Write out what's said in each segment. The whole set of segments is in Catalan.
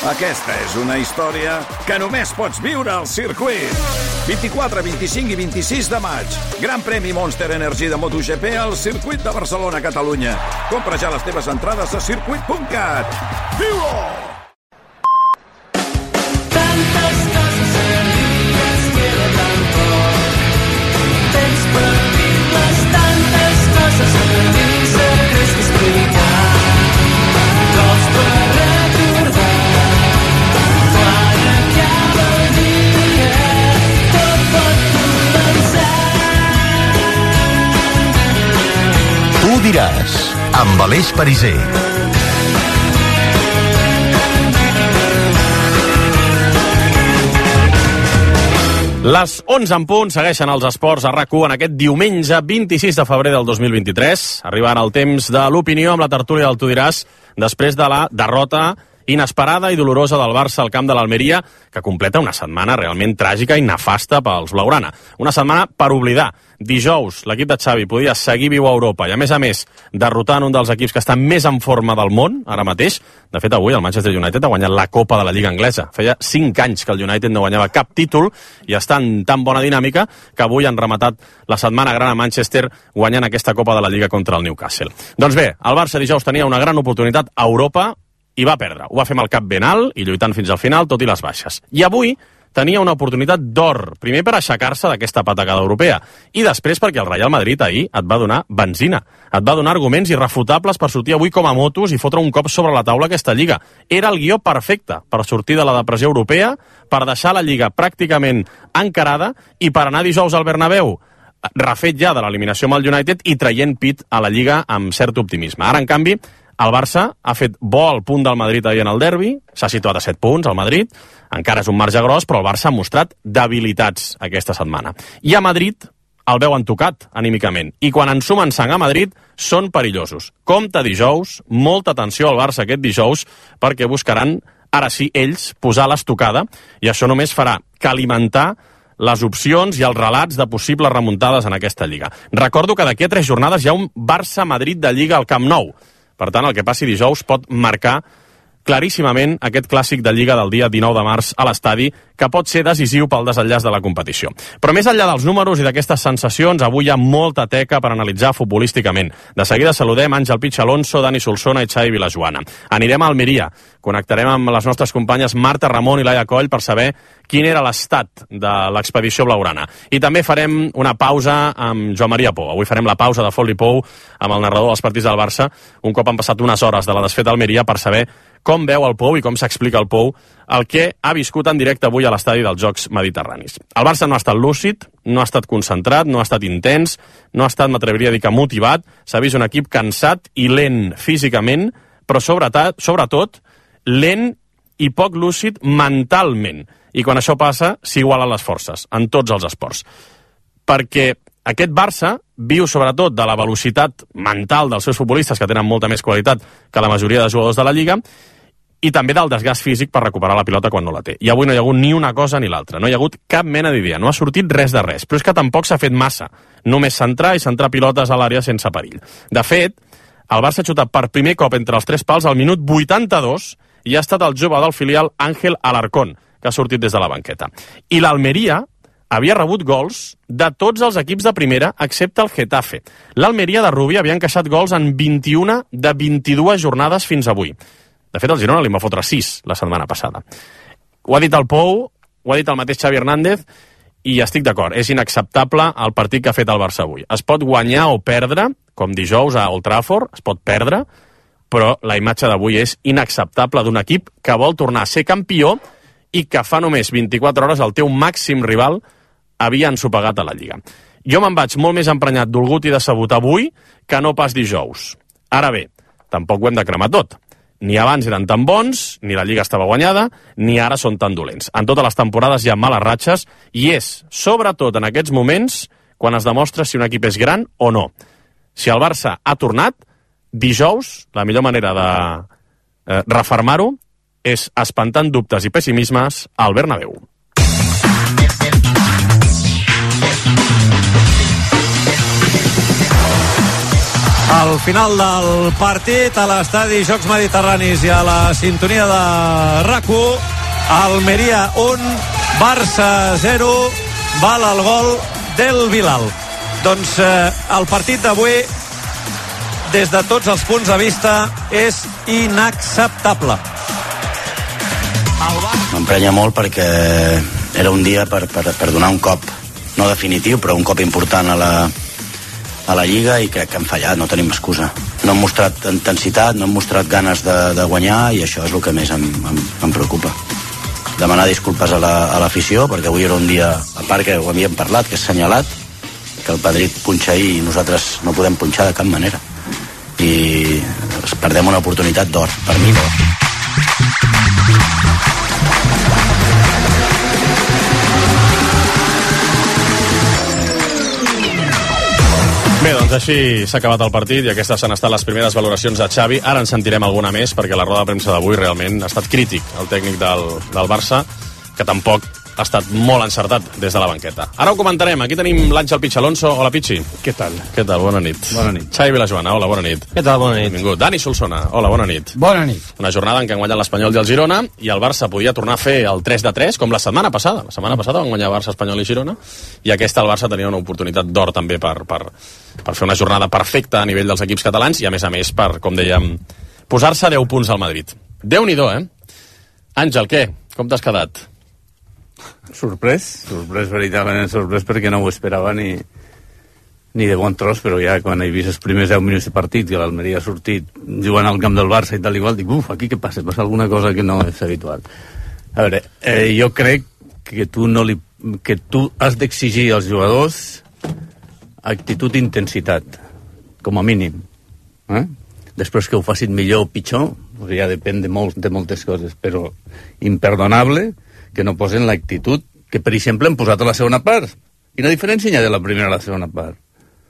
Aquesta és una història que només pots viure al circuit. 24, 25 i 26 de maig. Gran premi Monster Energy de MotoGP al circuit de Barcelona, Catalunya. Compra ja les teves entrades a circuit.cat. Viu-ho! Tantes coses serides queda tan poc. Temps per dir-les, tantes coses a dir, secrets que explicar. Cops per recordar. Quan acaba el dia, tot pot començar. Tu diràs, amb Aleix Pariser. Les 11 en punt segueixen els esports a RAC1 en aquest diumenge 26 de febrer del 2023. Arribant el temps de l'opinió amb la tertúlia del Tu diràs, després de la derrota inesperada i dolorosa del Barça al camp de l'Almeria, que completa una setmana realment tràgica i nefasta pels blaugrana. Una setmana per oblidar. Dijous, l'equip de Xavi podia seguir viu a Europa i, a més, derrotant un dels equips que està més en forma del món, ara mateix. De fet, avui el Manchester United ha guanyat la Copa de la Lliga Anglesa. Feia 5 anys que el United no guanyava cap títol i està en tan bona dinàmica que avui han rematat la setmana gran a Manchester guanyant aquesta Copa de la Lliga contra el Newcastle. Doncs bé, el Barça dijous tenia una gran oportunitat a Europa i va perdre. Ho va fer amb el cap ben alt i lluitant fins al final, tot i les baixes. I avui tenia una oportunitat d'or, primer per aixecar-se d'aquesta patacada europea i després perquè el Real Madrid ahir et va donar benzina, et va donar arguments irrefutables per sortir avui com a motos i fotre un cop sobre la taula aquesta Lliga. Era el guió perfecte per sortir de la depressió europea, per deixar la Lliga pràcticament encarada i per anar dijous al Bernabéu refet ja de l'eliminació amb el United i traient pit a la Lliga amb cert optimisme. Ara, en canvi, el Barça ha fet bo al punt del Madrid ahir en el derbi, s'ha situat a 7 punts al Madrid, encara és un marge gros, però el Barça ha mostrat debilitats aquesta setmana. I a Madrid el veuen tocat anímicament, i quan ensumen sang a Madrid són perillosos. Compte dijous, molta atenció al Barça aquest dijous, perquè buscaran, ara sí, ells, posar l'estocada, i això només farà que alimentar les opcions i els relats de possibles remuntades en aquesta Lliga. Recordo que d'aquí a 3 jornades hi ha un Barça-Madrid de Lliga al Camp Nou. Per tant, el que passi dijous pot marcar claríssimament aquest clàssic de Lliga del dia 19 de març a l'estadi, que pot ser decisiu pel desenllaç de la competició. Però més enllà dels números i d'aquestes sensacions, avui hi ha molta teca per analitzar futbolísticament. De seguida saludem Àngel Pitx Alonso, Dani Solsona i Xavi Vilajoana. Anirem a Almeria, connectarem amb les nostres companyes Marta Ramon i Laia Coll per saber quin era l'estat de l'expedició blaugrana. I també farem una pausa amb Joan Maria Pou. Avui farem la pausa de Folli Pou amb el narrador dels partits del Barça, un cop han passat unes hores de la desfeta a Almeria, per saber com veu el Pou i com s'explica el Pou el que ha viscut en directe avui a l'estadi dels Jocs Mediterranis. El Barça no ha estat lúcid, no ha estat concentrat, no ha estat intens, no ha estat, m'atreviria a dir que motivat, s'ha vist un equip cansat i lent físicament, però sobretot lent i poc lúcid mentalment. I quan això passa, s'igualen les forces en tots els esports. Perquè aquest Barça viu sobretot de la velocitat mental dels seus futbolistes, que tenen molta més qualitat que la majoria de jugadors de la Lliga, i també del desgast físic per recuperar la pilota quan no la té. I avui no hi ha hagut ni una cosa ni l'altra, no hi ha hagut cap mena d'idea, no ha sortit res de res, però és que tampoc s'ha fet massa, només centrar i centrar pilotes a l'àrea sense perill. De fet, el Barça ha xutat per primer cop entre els 3 pals al minut 82 i ha estat el jove del filial Ángel Alarcón, que ha sortit des de la banqueta. I l'Almeria havia rebut gols de tots els equips de primera, excepte el Getafe. L'Almeria de Rubí havia encaixat gols en 21 de 22 jornades fins avui. De fet, el Girona li va fotre 6 la setmana passada. Ho ha dit el Pou, ho ha dit el mateix Xavi Hernández, i estic d'acord, és inacceptable el partit que ha fet el Barça avui. Es pot guanyar o perdre, com dijous a Old Trafford, es pot perdre, però la imatge d'avui és inacceptable d'un equip que vol tornar a ser campió i que fa només 24 hores el teu màxim rival havia ensopegat a la Lliga. Jo me'n vaig molt més emprenyat, dolgut i decebut avui que no pas dijous. Ara bé, tampoc ho hem de cremar tot. Ni abans eren tan bons, ni la Lliga estava guanyada, ni ara són tan dolents. En totes les temporades hi ha males ratxes i és, sobretot en aquests moments, quan es demostra si un equip és gran o no. Si el Barça ha tornat, dijous, la millor manera de refermar-ho és espantant dubtes i pessimismes al Bernabéu. Al final del partit, a l'estadi Jocs Mediterranis i a la sintonia de RAC1, Almeria 1, Barça 0, val el gol del Bilal. Doncs el partit d'avui, des de tots els punts de vista, és inacceptable. M'emprenya molt perquè era un dia per donar un cop, no definitiu, però un cop important a la Lliga, i crec que han fallat, no tenim excusa. No han mostrat intensitat, no han mostrat ganes de guanyar, i això és el que més em preocupa. Demanar disculpes a l'afició, perquè avui era un dia, a part que ho havíem parlat, que és senyalat, que el Madrid punxa ahir i nosaltres no podem punxar de cap manera. I perdem una oportunitat d'or, per mi d'or. Bé, doncs així s'ha acabat el partit i aquestes han estat les primeres valoracions de Xavi. Ara en sentirem alguna més perquè la roda de premsa d'avui realment ha estat crític, el tècnic del Barça, que tampoc ha estat molt encertat des de la banqueta. Ara ho comentarem. Aquí tenim l'Àngel Pitx Alonso. Hola, Pitxi. Què tal? Què tal? Bona nit. Bona nit. Xavi Vilajoana. Hola, bona nit. Què tal? Bona nit. Benvingut. Dani Solsona. Hola, bona nit. Bona nit. Una jornada en què han guanyat l'Espanyol i el Girona i el Barça podia tornar a fer el 3-3 com la setmana passada. La setmana passada van guanyar Barça, Espanyol i Girona i aquesta el Barça tenia una oportunitat d'or també per fer una jornada perfecta a nivell dels equips catalans i a més per, com dèiem, posar-se 10 punts al Madrid. Déu-n'hi-do, Àngel, què? Com t'has quedat? Sorprès, veritablement sorprès, perquè no ho esperava ni de bon tros, però ja quan he vist els primers 10 minuts de partit que l'Almeria ha sortit jugant al camp del Barça i tal igual, dic, aquí què passa? Passa alguna cosa que no és habitual. A veure, jo crec que tu has d'exigir als jugadors actitud i intensitat, com a mínim. Després que ho facin millor o pitjor, ja depèn de moltes coses, però imperdonable que no posen l'actitud que, per exemple, han posat a la segona part. Quina diferència hi ha de la primera a la segona part?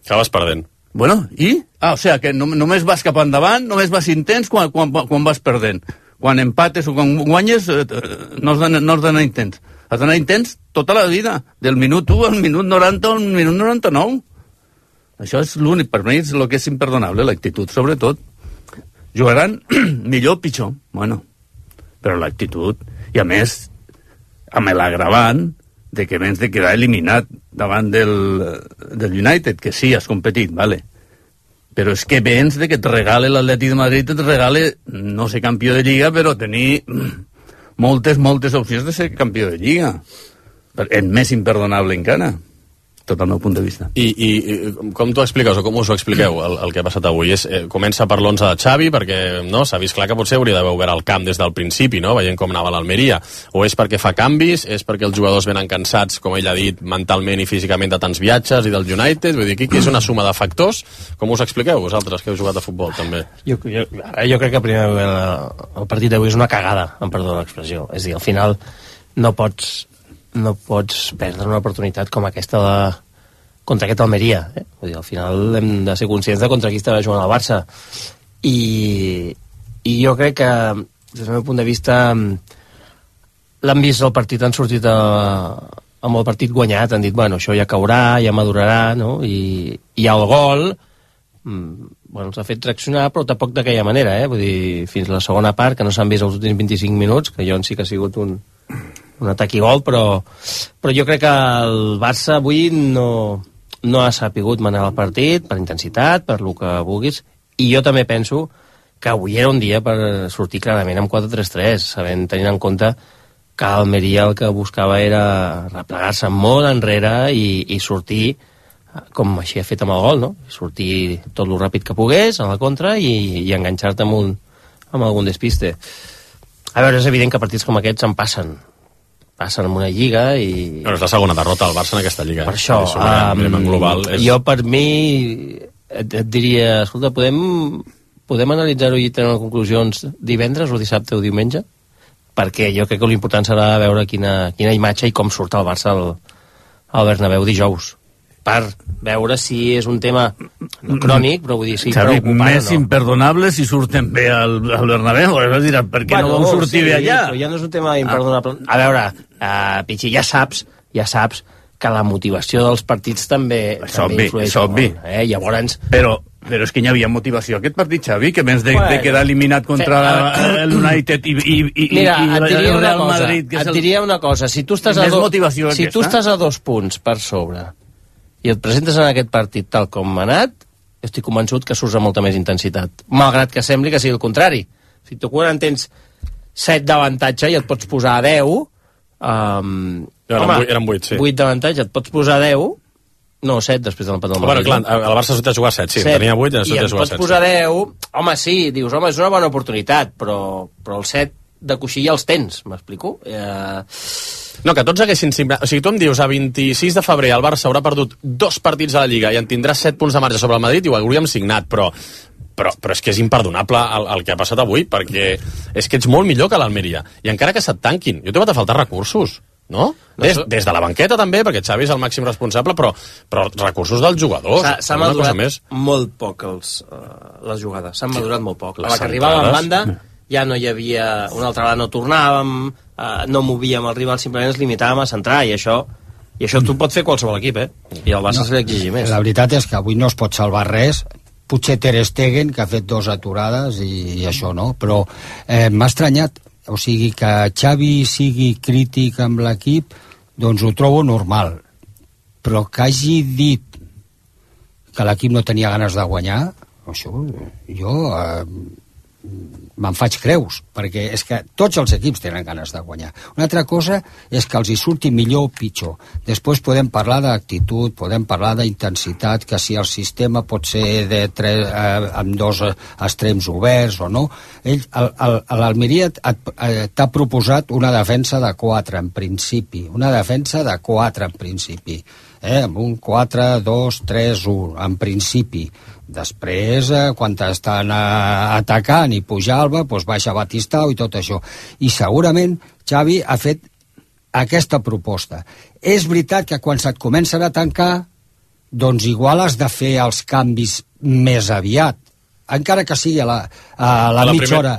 Acabes perdent. Bueno, i? O sigui, que només vas cap endavant, només vas intens quan vas perdent. Quan empates o quan guanyes, no has d'anar intens. Has d'anar intens tota la vida, del minut 1 al minut 90 al minut 99. Això és l'únic, per mi és el que és imperdonable, l'actitud, sobretot. Jugaran millor o pitjor, bueno, però l'actitud, i a més, amb l'agravant de que vens de quedar eliminat davant del United, que sí, has competit, vale. Però és que vens de que et regale l'Atlètic de Madrid, et regale, no sé, campió de Lliga, però tenir moltes opcions de ser campió de Lliga. És més imperdonable encara, tot el meu punt de vista. I com t'ho expliques, o com us ho expliqueu, el que ha passat avui? Comença per l'11 de Xavi, perquè no s'ha vist clar que potser hauria d'haver obert el camp des del principi, no? Veient com anava l'Almeria. O és perquè fa canvis, és perquè els jugadors venen cansats, com ell ha dit, mentalment i físicament de tants viatges i del United? Vull dir, aquí és una suma de factors. Com us expliqueu, vosaltres, que heu jugat a futbol, també? Jo crec que primer el partit d'avui és una cagada, em perdó l'expressió. És a dir, al final no pots perdre una oportunitat com aquesta contra aquest Almeria. Vull dir, al final hem de ser conscients de contra qui estava jugant al Barça. I jo crec que, des del meu punt de vista, l'han vist el partit, han sortit amb el partit guanyat, han dit, bueno, això ja caurà, ja madurarà, no? I el gol els ha fet reaccionar, però tampoc d'aquella manera, Vull dir, fins a la segona part, que no s'han vist els últims 25 minuts, que jo en sí que ha sigut un atac i gol, però jo crec que el Barça avui no ha sapigut manejar el partit per intensitat, per el que vulguis, i jo també penso que avui era un dia per sortir clarament amb 4-3-3, tenint en compte que Almeria el que buscava era replegar-se molt enrere i sortir com així ha fet amb el gol, no? Sortir tot el ràpid que pogués a la contra i enganxar-te amb algun despiste. A veure, és evident que partits com aquests en passen en una lliga i... Bueno, és la segona derrota del Barça en aquesta lliga. Per això, global, jo per mi et diria, escolta, podem analitzar-ho i treure conclusions divendres o dissabte o diumenge? Perquè jo crec que l'important serà veure quina imatge i com surt el Barça al Bernabéu dijous, per veure si és un tema no crònic, però vull dir, sí, Xavi, preocupant, més imperdonable si surten bé al Bernabéu, diràs, per què no vau sortir bé allà? Però ja no és un tema imperdonable. A veure, Pichi, ja saps que la motivació dels partits també influeix. És obvi. Llavors, però Però és que hi havia motivació aquest partit, Xavi, que més de quedar eliminat contra el United i mira, el Real Madrid, que et diria una cosa, si tu estàs a 2 punts per sobre i et presentes en aquest partit tal com ha anat, estic convençut que surts amb molta més intensitat, malgrat que sembli que sigui el contrari. Si tu quan tens 7 d'avantatge i et pots posar a 10, eren 8, sí. 8 d'avantatge, et pots posar a 10. No, 7 després de l'empat del Madrid. Bueno, clar, el Barça s'ha de jugar 7, sí. 7. Tenia 8 i s'ha de jugar 7. I em pots posar 10... Home, sí, dius, home, és una bona oportunitat, però el 7 de coixí ja els tens, m'explico? No, que tots haguessin... O sigui, tu em dius, a 26 de febrer el Barça haurà perdut 2 partits a la Lliga i en tindrà 7 punts de marge sobre el Madrid i ho hauríem signat, però és que és imperdonable el que ha passat avui, perquè és que ets molt millor que l'Almeria. I encara que se't tanquin, jo t'he de faltar recursos. No? Des de la banqueta també, perquè Xavi és el màxim responsable, però recursos dels jugadors. S'ha madurat molt poc les jugades, s'han madurat molt poc. A la que arribava en banda ja no hi havia una altra banda, no tornàvem, no movíem el rival, simplement ens limitàvem a centrar, i això tu pot fer qualsevol equip, i el Barça se li exigir més. La veritat és que avui no es pot salvar res, potser Ter Stegen, que ha fet 2 aturades i això no, però m'ha estranyat. O sigui, que Xavi sigui crític amb l'equip, doncs ho trobo normal. Però que hagi dit que l'equip no tenia ganes de guanyar, això jo me'n faig creus, perquè és que tots els equips tenen ganes de guanyar. Una altra cosa és que els hi surti millor o pitjor. Després podem parlar d'actitud, podem parlar d'intensitat, que si el sistema pot ser amb 2 extrems oberts o no. L'Almeria t'ha proposat una defensa de 4 en principi, amb un 4-2-3-1 en principi. Després, quan estan atacant i puja Alba, doncs baixa Batistao i tot això. I segurament Xavi ha fet aquesta proposta. És veritat que quan se't comencen a tancar, doncs igual has de fer els canvis més aviat, encara que sigui a la mitja hora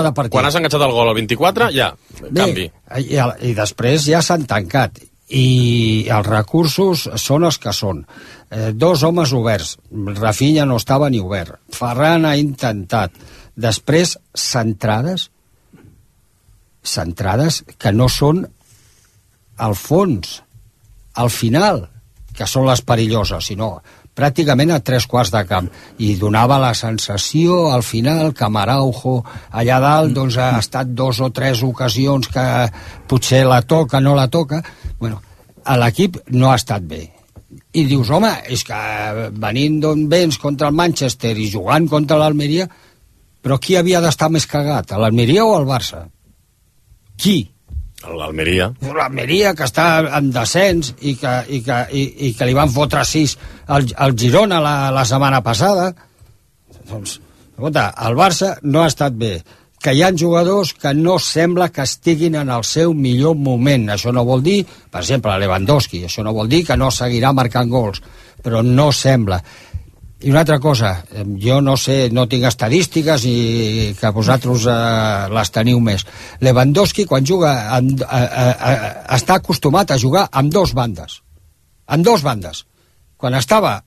de partit. Quan has enganxat el gol al 24, ja, canvi. I després ja s'han tancat. I els recursos són els que són. 2 homes oberts. Rafinha no estava ni obert. Ferran ha intentat. Després, centrades que no són al fons, al final, que són les perilloses, sinó pràcticament a 3/4 de camp, i donava la sensació al final que Araujo allà dalt doncs ha estat 2 o 3 ocasions que potser la toca, no la toca. Bueno, l'equip no ha estat bé. I dius, home, és que venint d'on vens contra el Manchester i jugant contra l'Almeria, però qui havia d'estar més cagat, l'Almeria o el Barça? Qui? L'Almeria. L'Almeria, que està en descens i que li van fotre 6 al Girona la setmana passada. Doncs, escolta, el Barça no ha estat bé. Que hi ha jugadors que no sembla que estiguin en el seu millor moment. Això no vol dir, per exemple, Lewandowski, això no vol dir que no seguirà marcant gols, però no sembla. I una altra cosa, jo no sé, no tinc estadístiques i que vosaltres les teniu més. Lewandowski, quan juga, està acostumat a jugar amb 2 bandes. Amb 2 bandes. Quan estava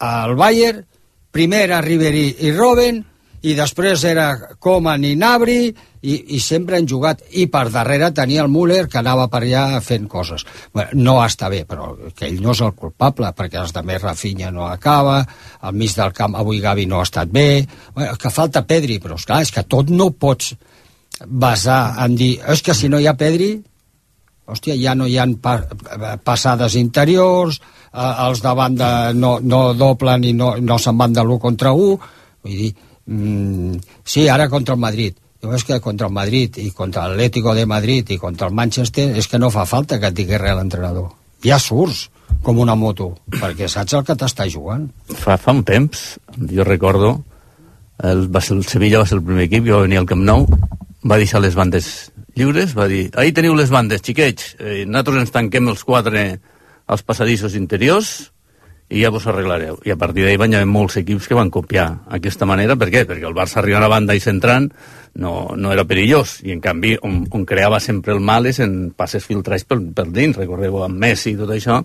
al Bayern, primer era Ribéry i Robben, i després era Koeman i Gnabry, i sempre han jugat, i per darrere tenia el Müller, que anava per allà fent coses. Bueno, no està bé, però que ell no és el culpable, perquè els de més Rafinha no acaba, al mig del camp avui Gavi no ha estat bé, bueno, que falta Pedri, però esclar, és que tot no pots basar en dir, és que si no hi ha Pedri, hòstia, ja no hi ha passades interiors, els de banda no doblen i no se'n van de l'1 contra 1, vull dir, sí, ara contra el Madrid. Jo és que contra el Madrid i contra l'Atlético de Madrid i contra el Manchester és que no fa falta que et digui res l'entrenador. Ja surts com una moto, perquè saps el que t'està jugant. Fa un temps, jo recordo, el Sevilla va ser el primer equip, jo va venir al Camp Nou, va deixar les bandes lliures, va dir, ahí teniu les bandes, xiquets, nosaltres ens tanquem els 4 als passadissos interiors i ja vos arreglareu. I a partir d'ahir van haver molts equips que van copiar aquesta manera. Per què? Perquè el Barça arriba a la banda i centrant no era perillós, i en canvi on creava sempre el mal és en passes filtrats per dins. Recordeu amb Messi i tot això,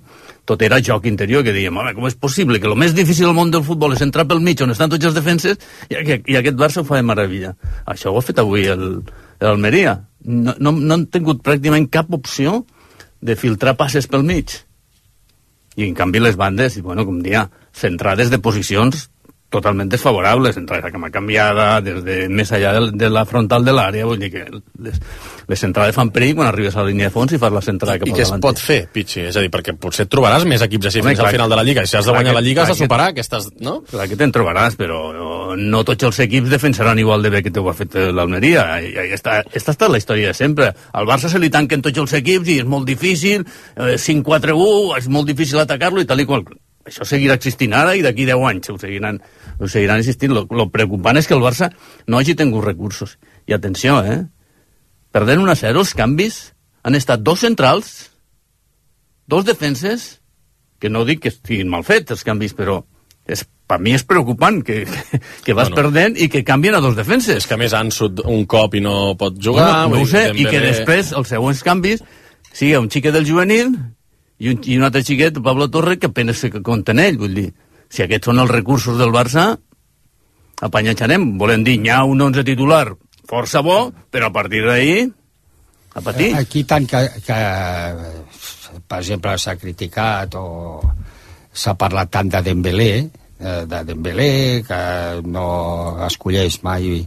tot era joc interior, que dèiem, home, com és possible que el més difícil del món del futbol és entrar pel mig on estan tots els defenses i aquest Barça ho fa de meravella. Això ho ha fet avui l'Almeria. No han tingut pràcticament cap opció de filtrar passes pel mig. I en canvi les bandes, bueno, com dia, centrades de posicions totalment desfavorables, entrada a cama canviada, des de més allà de la frontal de l'àrea, vull dir que les centrades fan perill quan arribes a la línia de fons i fas la centrada cap al davant. I què es pot fer, Pichi? És a dir, perquè potser et trobaràs més equips així fins al final de la Lliga, i si has de guanyar la Lliga has de superar aquestes, no? Clar que te'n trobaràs, però no tots els equips defensaran igual de bé que t'ho ha fet l'Almeria. Aquesta ha estat la història de sempre. Al Barça se li tanquen tots els equips i és molt difícil, 5-4-1, és molt difícil atacar-lo i tal i qual. Això seguirà existint ara i d'aquí 10 anys ho seguiran existint. Lo preocupant és que el Barça no hagi tingut recursos. I atenció, perdent 1-0, els canvis han estat 2 centrals, 2 defenses, que no dic que estiguin mal fets els canvis, però per mi és preocupant que vas perdent i que canvien a 2 defenses. És que a més Ansut un cop i no pot jugar. No ho sé, i que després els següents canvis sigui un xiquet del juvenil i un altre xiquet, Pablo Torre, que apenas se compta en ell. Vull dir, si aquests són els recursos del Barça, apanyatxarem. Volem dir, hi ha un 11 titular força bo, però a partir d'ahir a patir. Aquí tant que per exemple s'ha criticat o s'ha parlat tant de Dembélé, que no escolleix mai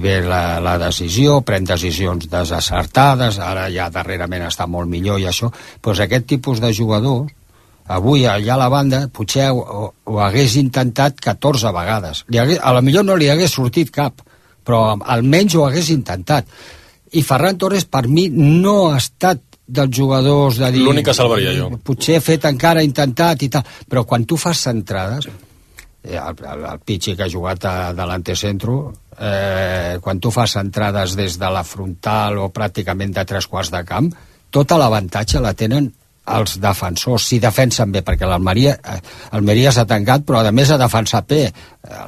bé la decisió, pren decisions desacertades, ara ja darrerament està molt millor i això, doncs aquest tipus de jugadors avui allà a la banda potser ho hagués intentat 14 vegades. A lo millor no li hagués sortit cap, però almenys ho hagués intentat. I Ferran Torres per mi no ha estat dels jugadors de dir... L'únic que salvaria jo. Potser he fet encara, intentat i tal, però quan tu fas centrades, el Pichi que ha jugat a delante centro, quan tu fas entrades des de la frontal o pràcticament de 3/4 de camp, tota l'avantatge la tenen els defensors, si defensen bé, perquè l'Almeria s'ha tancat, però a més ha defensat bé,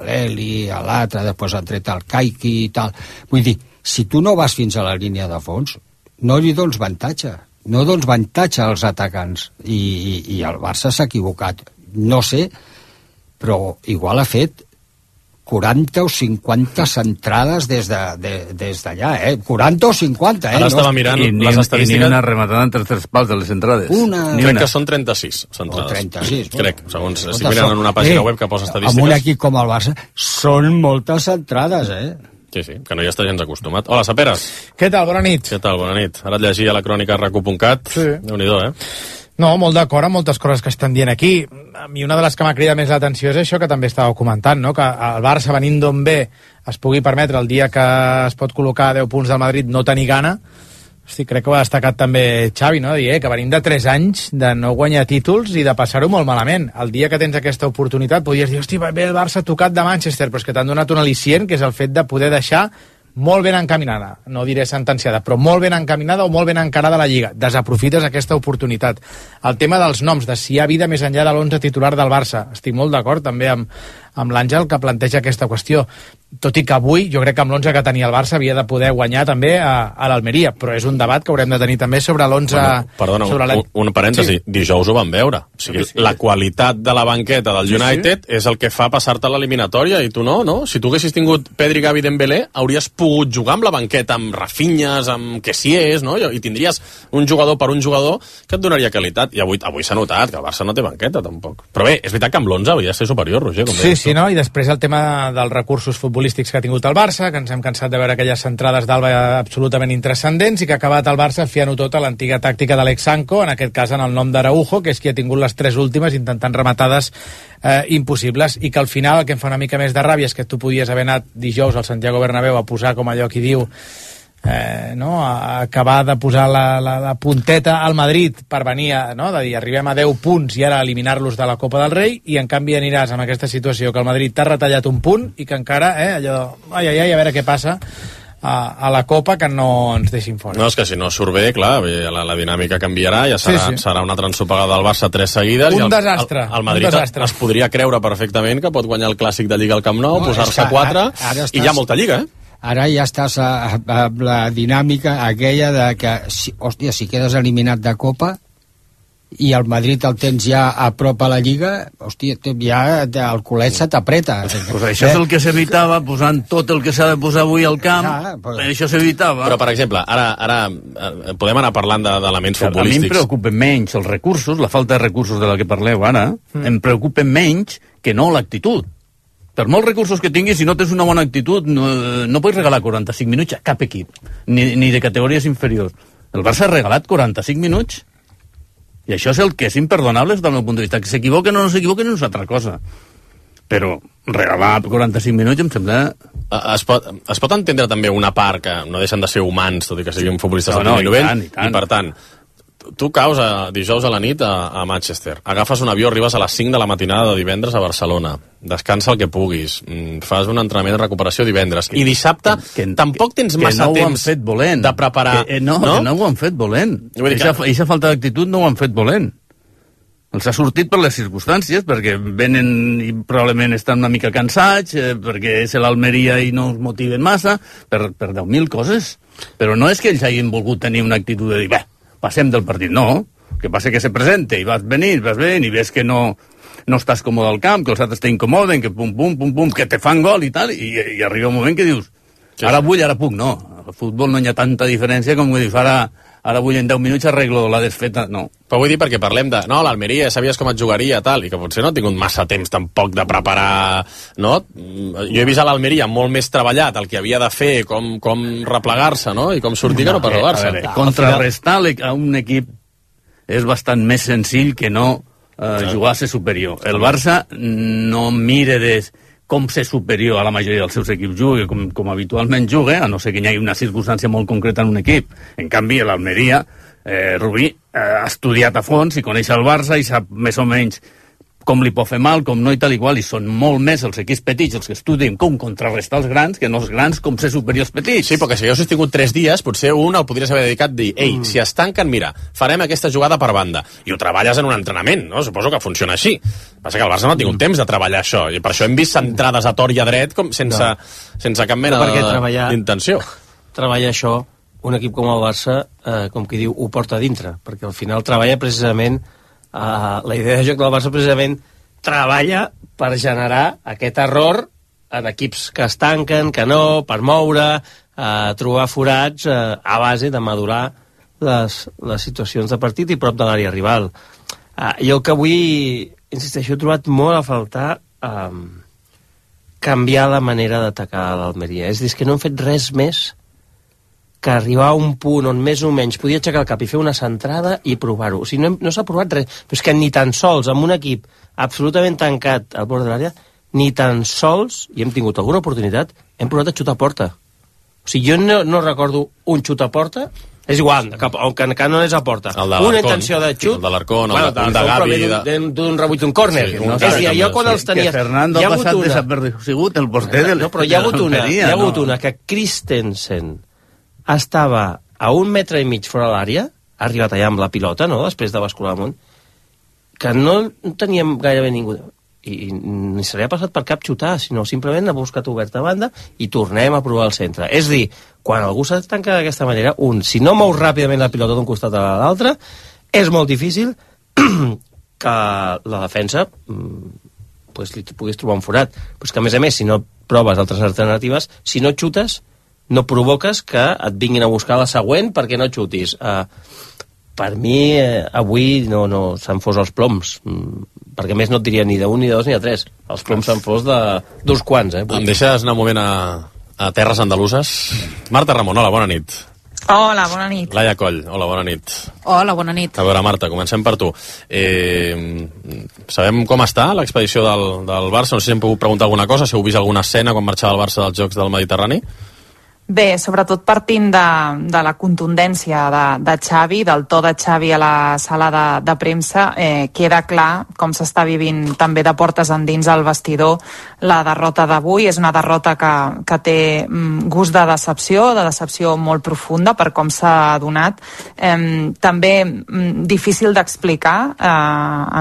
l'Eli, l'altre, després han tret el Kaiki i tal. Vull dir, si tu no vas fins a la línia de fons, no li dones avantatge, no dones avantatge als atacants, i el Barça s'ha equivocat. No sé, però igual ha fet 40 o 50 centrades des d'allà, 40 o 50, Ara estava mirant les estadístiques. I ni una rematada entre 3 pals de les centrades. Crec que són 36 centrades. O 36. Crec, segons estic mirant en una pàgina web que posa estadístiques. Amb un equip com el Barça, són moltes centrades, Sí, que no hi està gens acostumat. Hola, Saperes. Què tal? Bona nit. Què tal? Bona nit. Ara et llegia la crònica racu.cat. Sí. Déu-n'hi-do, No, molt d'acord amb moltes coses que estan dient aquí. A mi una de les que m'ha cridat més l'atenció és això que també estàveu comentant, no? Que el Barça, venint d'on ve, es pugui permetre el dia que es pot col·locar a 10 punts del Madrid no tenir gana. Hosti, crec que ho ha destacat també Xavi, no? Dir, que venim de 3 anys de no guanyar títols i de passar-ho molt malament. El dia que tens aquesta oportunitat podries dir, hosti, ve el Barça tocat de Manchester, però és que t'han donat un al·licient, que és el fet de poder deixar molt ben encaminada, no diré sentenciada, però molt ben encaminada o molt ben encarada la Lliga. Desaprofites aquesta oportunitat. El tema dels noms, de si hi ha vida més enllà de l'11 titular del Barça. Estic molt d'acord també amb l'Àngel que planteja aquesta qüestió. Tot i que avui jo crec que amb l'11 que tenia el Barça havia de poder guanyar també a l'Almeria, però és un debat que haurem de tenir també sobre l'11... Perdona, un parèntesi, sí. Dijous ho vam veure. O sigui, sí. La qualitat de la banqueta del United és el que fa passar-te a l'eliminatòria i tu no? Si tu haguessis tingut Pedri, Gavi, Dembélé, hauries pogut jugar amb la banqueta, amb Rafinhas, amb Kessiés, no? I tindries un jugador per un jugador que et donaria qualitat. I avui s'ha notat que el Barça no té banqueta, tampoc. Però bé, és veritat que amb l'11 hauria de ser superior, Roger. Sí, no? I després el tema dels recursos futbolístics que ha tingut el Barça, que ens hem cansat de veure aquelles centrades d'Alba absolutament intranscendents i que ha acabat el Barça fiant-ho tot a l'antiga tàctica d'Alex Sanko, en aquest cas en el nom d'Araujo, que és qui ha tingut les 3 últimes intentant rematades impossibles, i que al final el que em fa una mica més de ràbia és que tu podies haver anat dijous al Santiago Bernabéu a posar, com allò qui diu, a acabar de posar la punteta al Madrid per venir de dir arribem a 10 punts i ara eliminar-los de la Copa del Rei, i en canvi aniràs amb aquesta situació que el Madrid t'ha retallat un punt i que encara allò, ai, a veure què passa a la Copa que no ens deixin fora. No, és que si no surt bé, clar, la dinàmica canviarà, ja serà una altra ensopegada del Barça 3 seguides. Un desastre. El Madrid es podria creure perfectament que pot guanyar el Clàssic de Lliga al Camp Nou, posar-se 4, i hi ha molta Lliga, Ara ja estàs amb la dinàmica aquella de que, hòstia, si quedes eliminat de Copa i el Madrid el tens ja a prop a la Lliga, hòstia, ja el culet se t'apreta. Pues això és el que s'evitava, posant tot el que s'ha de posar avui al camp, això s'evitava. Però, per exemple, ara podem anar parlant d'elements futbolístics. A mi em preocupen menys els recursos, la falta de recursos de la que parleu ara, em preocupen menys que no l'actitud. Per molts recursos que tinguis, si no tens una bona actitud, no pots regalar 45 minuts a cap equip, ni de categories inferiors. El Barça ha regalat 45 minuts, i això és el que és imperdonable des del meu punt de vista. Que s'equivoquen o no s'equivoquen és una altra cosa. Però regalar 45 minuts em sembla... Es pot entendre també una part que no deixen de ser humans, tot i que siguin futbolistes de primer nivell, i per tant, tu caus dijous a la nit a Manchester, agafes un avió, arribes a les 5 de la matinada de divendres a Barcelona, descansa el que puguis, fas un entrenament de recuperació divendres, i dissabte tampoc tens massa temps de preparar. Que no ho han fet volent. Eixa falta d'actitud no ho han fet volent. Els ha sortit per les circumstàncies, perquè venen i probablement estan una mica cansats, perquè és l'Almeria i no us motiven massa, per 10.000 coses. Però no és que ells hagin volgut tenir una actitud de dir, passem del partit, no. Que passa que se presenta i vas venint i ves que no estàs còmode al camp, que els altres t'incomoden, que pum, que te fan gol i tal, i arriba un moment que dius, ara vull, ara puc, no. Al futbol no hi ha tanta diferència com que dius, ara vull en 10 minuts arreglo la desfeta, no. Però vull dir perquè parlem de, no, l'Almeria, sabies com et jugaria, tal, i que potser no ha tingut massa temps tampoc de preparar, no? Jo he vist a l'Almeria molt més treballat el que havia de fer, com replegar-se, no? I com sortir que no per robar-se. Contrarrestar a un equip és bastant més senzill que no jugar a ser superior. El Barça no mira com ser superior a la majoria dels seus equips juga, com habitualment juga, a no ser que hi hagi una circumstància molt concreta en un equip. En canvi, l'Almeria, Rubí, ha estudiat a fons i coneix el Barça i sap més o menys com li pot fer mal, com no i tal i qual, i són molt més els equips petits els que estudien com contrarrestar els grans que no els grans com ser superior als petits. Sí, perquè si haguessis tingut 3 dies, potser un el podries haver dedicat a dir, si es tanquen, mira, farem aquesta jugada per banda, i ho treballes en un entrenament, no? Suposo que funciona així. Passa que el Barça no ha tingut temps de treballar això, i per això hem vist centrades a tort i a dret com sense cap mena d'intenció. Treballar això, un equip com el Barça, com qui diu, ho porta a dintre, perquè al final treballa precisament la idea de joc del Barça precisament treballa per generar aquest error en equips que es tanquen, que no, per moure, trobar forats a base de madurar les situacions de partit i prop de l'àrea rival. Jo que avui, insisteixo, he trobat molt a faltar canviar la manera d'atacar l'Almeria. És a dir, que no hem fet res més que arribar a un punt on més o menys podia aixecar el cap i fer una centrada i provar-ho. O sigui, no s'ha provat res. Però és que ni tan sols amb un equip absolutament tancat al bord de l'àrea, ni tan sols, i hem tingut alguna oportunitat, hem provat a xutar a porta. O sigui, jo no recordo un xut a porta, és igual, que no és a porta. Una intenció de xut... El de l'Arcón, un de Gavi... D'un rebuig d'un córner. És a dir, allò quan els tenies... Que Fernando ha passat desapercebut, el porter del... No, però hi ha hagut una que Christensen estava a 1,5 metres fora de l'àrea, ha arribat allà amb la pilota, no?, després de bascular amunt, que no teníem gairebé ningú, i ni se li ha passat per cap xutar, sinó simplement ha buscat oberta a banda i tornem a provar el centre. És dir, quan algú s'ha tancat d'aquesta manera, si no mous ràpidament la pilota d'un costat a l'altre, és molt difícil que la defensa li puguis trobar un forat. Però és que, a més, si no proves altres alternatives, si no xutes, no provoques que et vinguin a buscar la següent perquè no xutis. Per mi, avui no s'han fos els ploms, perquè més no et diria ni d'un, ni de dos, ni de tres. Els ploms s'han fos d'uns quants. Em deixes anar un moment a terres andaluses? Marta Ramon, hola, bona nit. Hola, bona nit. Laia Coll, hola, bona nit. Hola, bona nit. A veure, Marta, comencem per tu. Sabem com està l'expedició del Barça? No sé si hem pogut preguntar alguna cosa, si heu vist alguna escena quan marxava el Barça dels Jocs del Mediterrani? Bé, sobretot partint de la contundència de Xavi, del to de Xavi a la sala de premsa, queda clar com s'està vivint també de portes endins al vestidor la derrota d'avui. És una derrota que té gust de decepció molt profunda per com s'ha donat. També difícil d'explicar,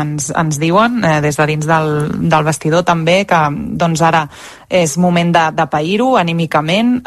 ens diuen des de dins del vestidor també, que doncs ara és moment de pair-ho anímicament,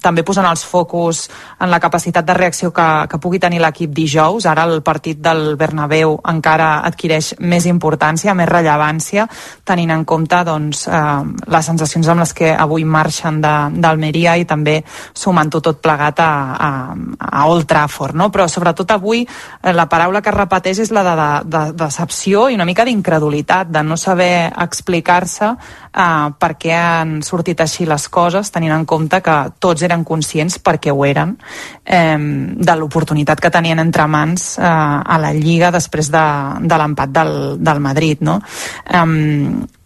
també posant els focus en la capacitat de reacció que pugui tenir l'equip dijous. Ara el partit del Bernabéu encara adquireix més importància, més rellevància, tenint en compte doncs, les sensacions amb les que avui marxen d'Almeria i també sumant-ho tot plegat a Old Trafford, no? Però sobretot avui la paraula que es repeteix és la de decepció i una mica d'incredulitat, de no saber explicar-se per què han sortit així les coses, tenint en compte que tots eren conscients, perquè ho eren, de l'oportunitat que tenien entre mans a la Lliga després de l'empat del Madrid, no?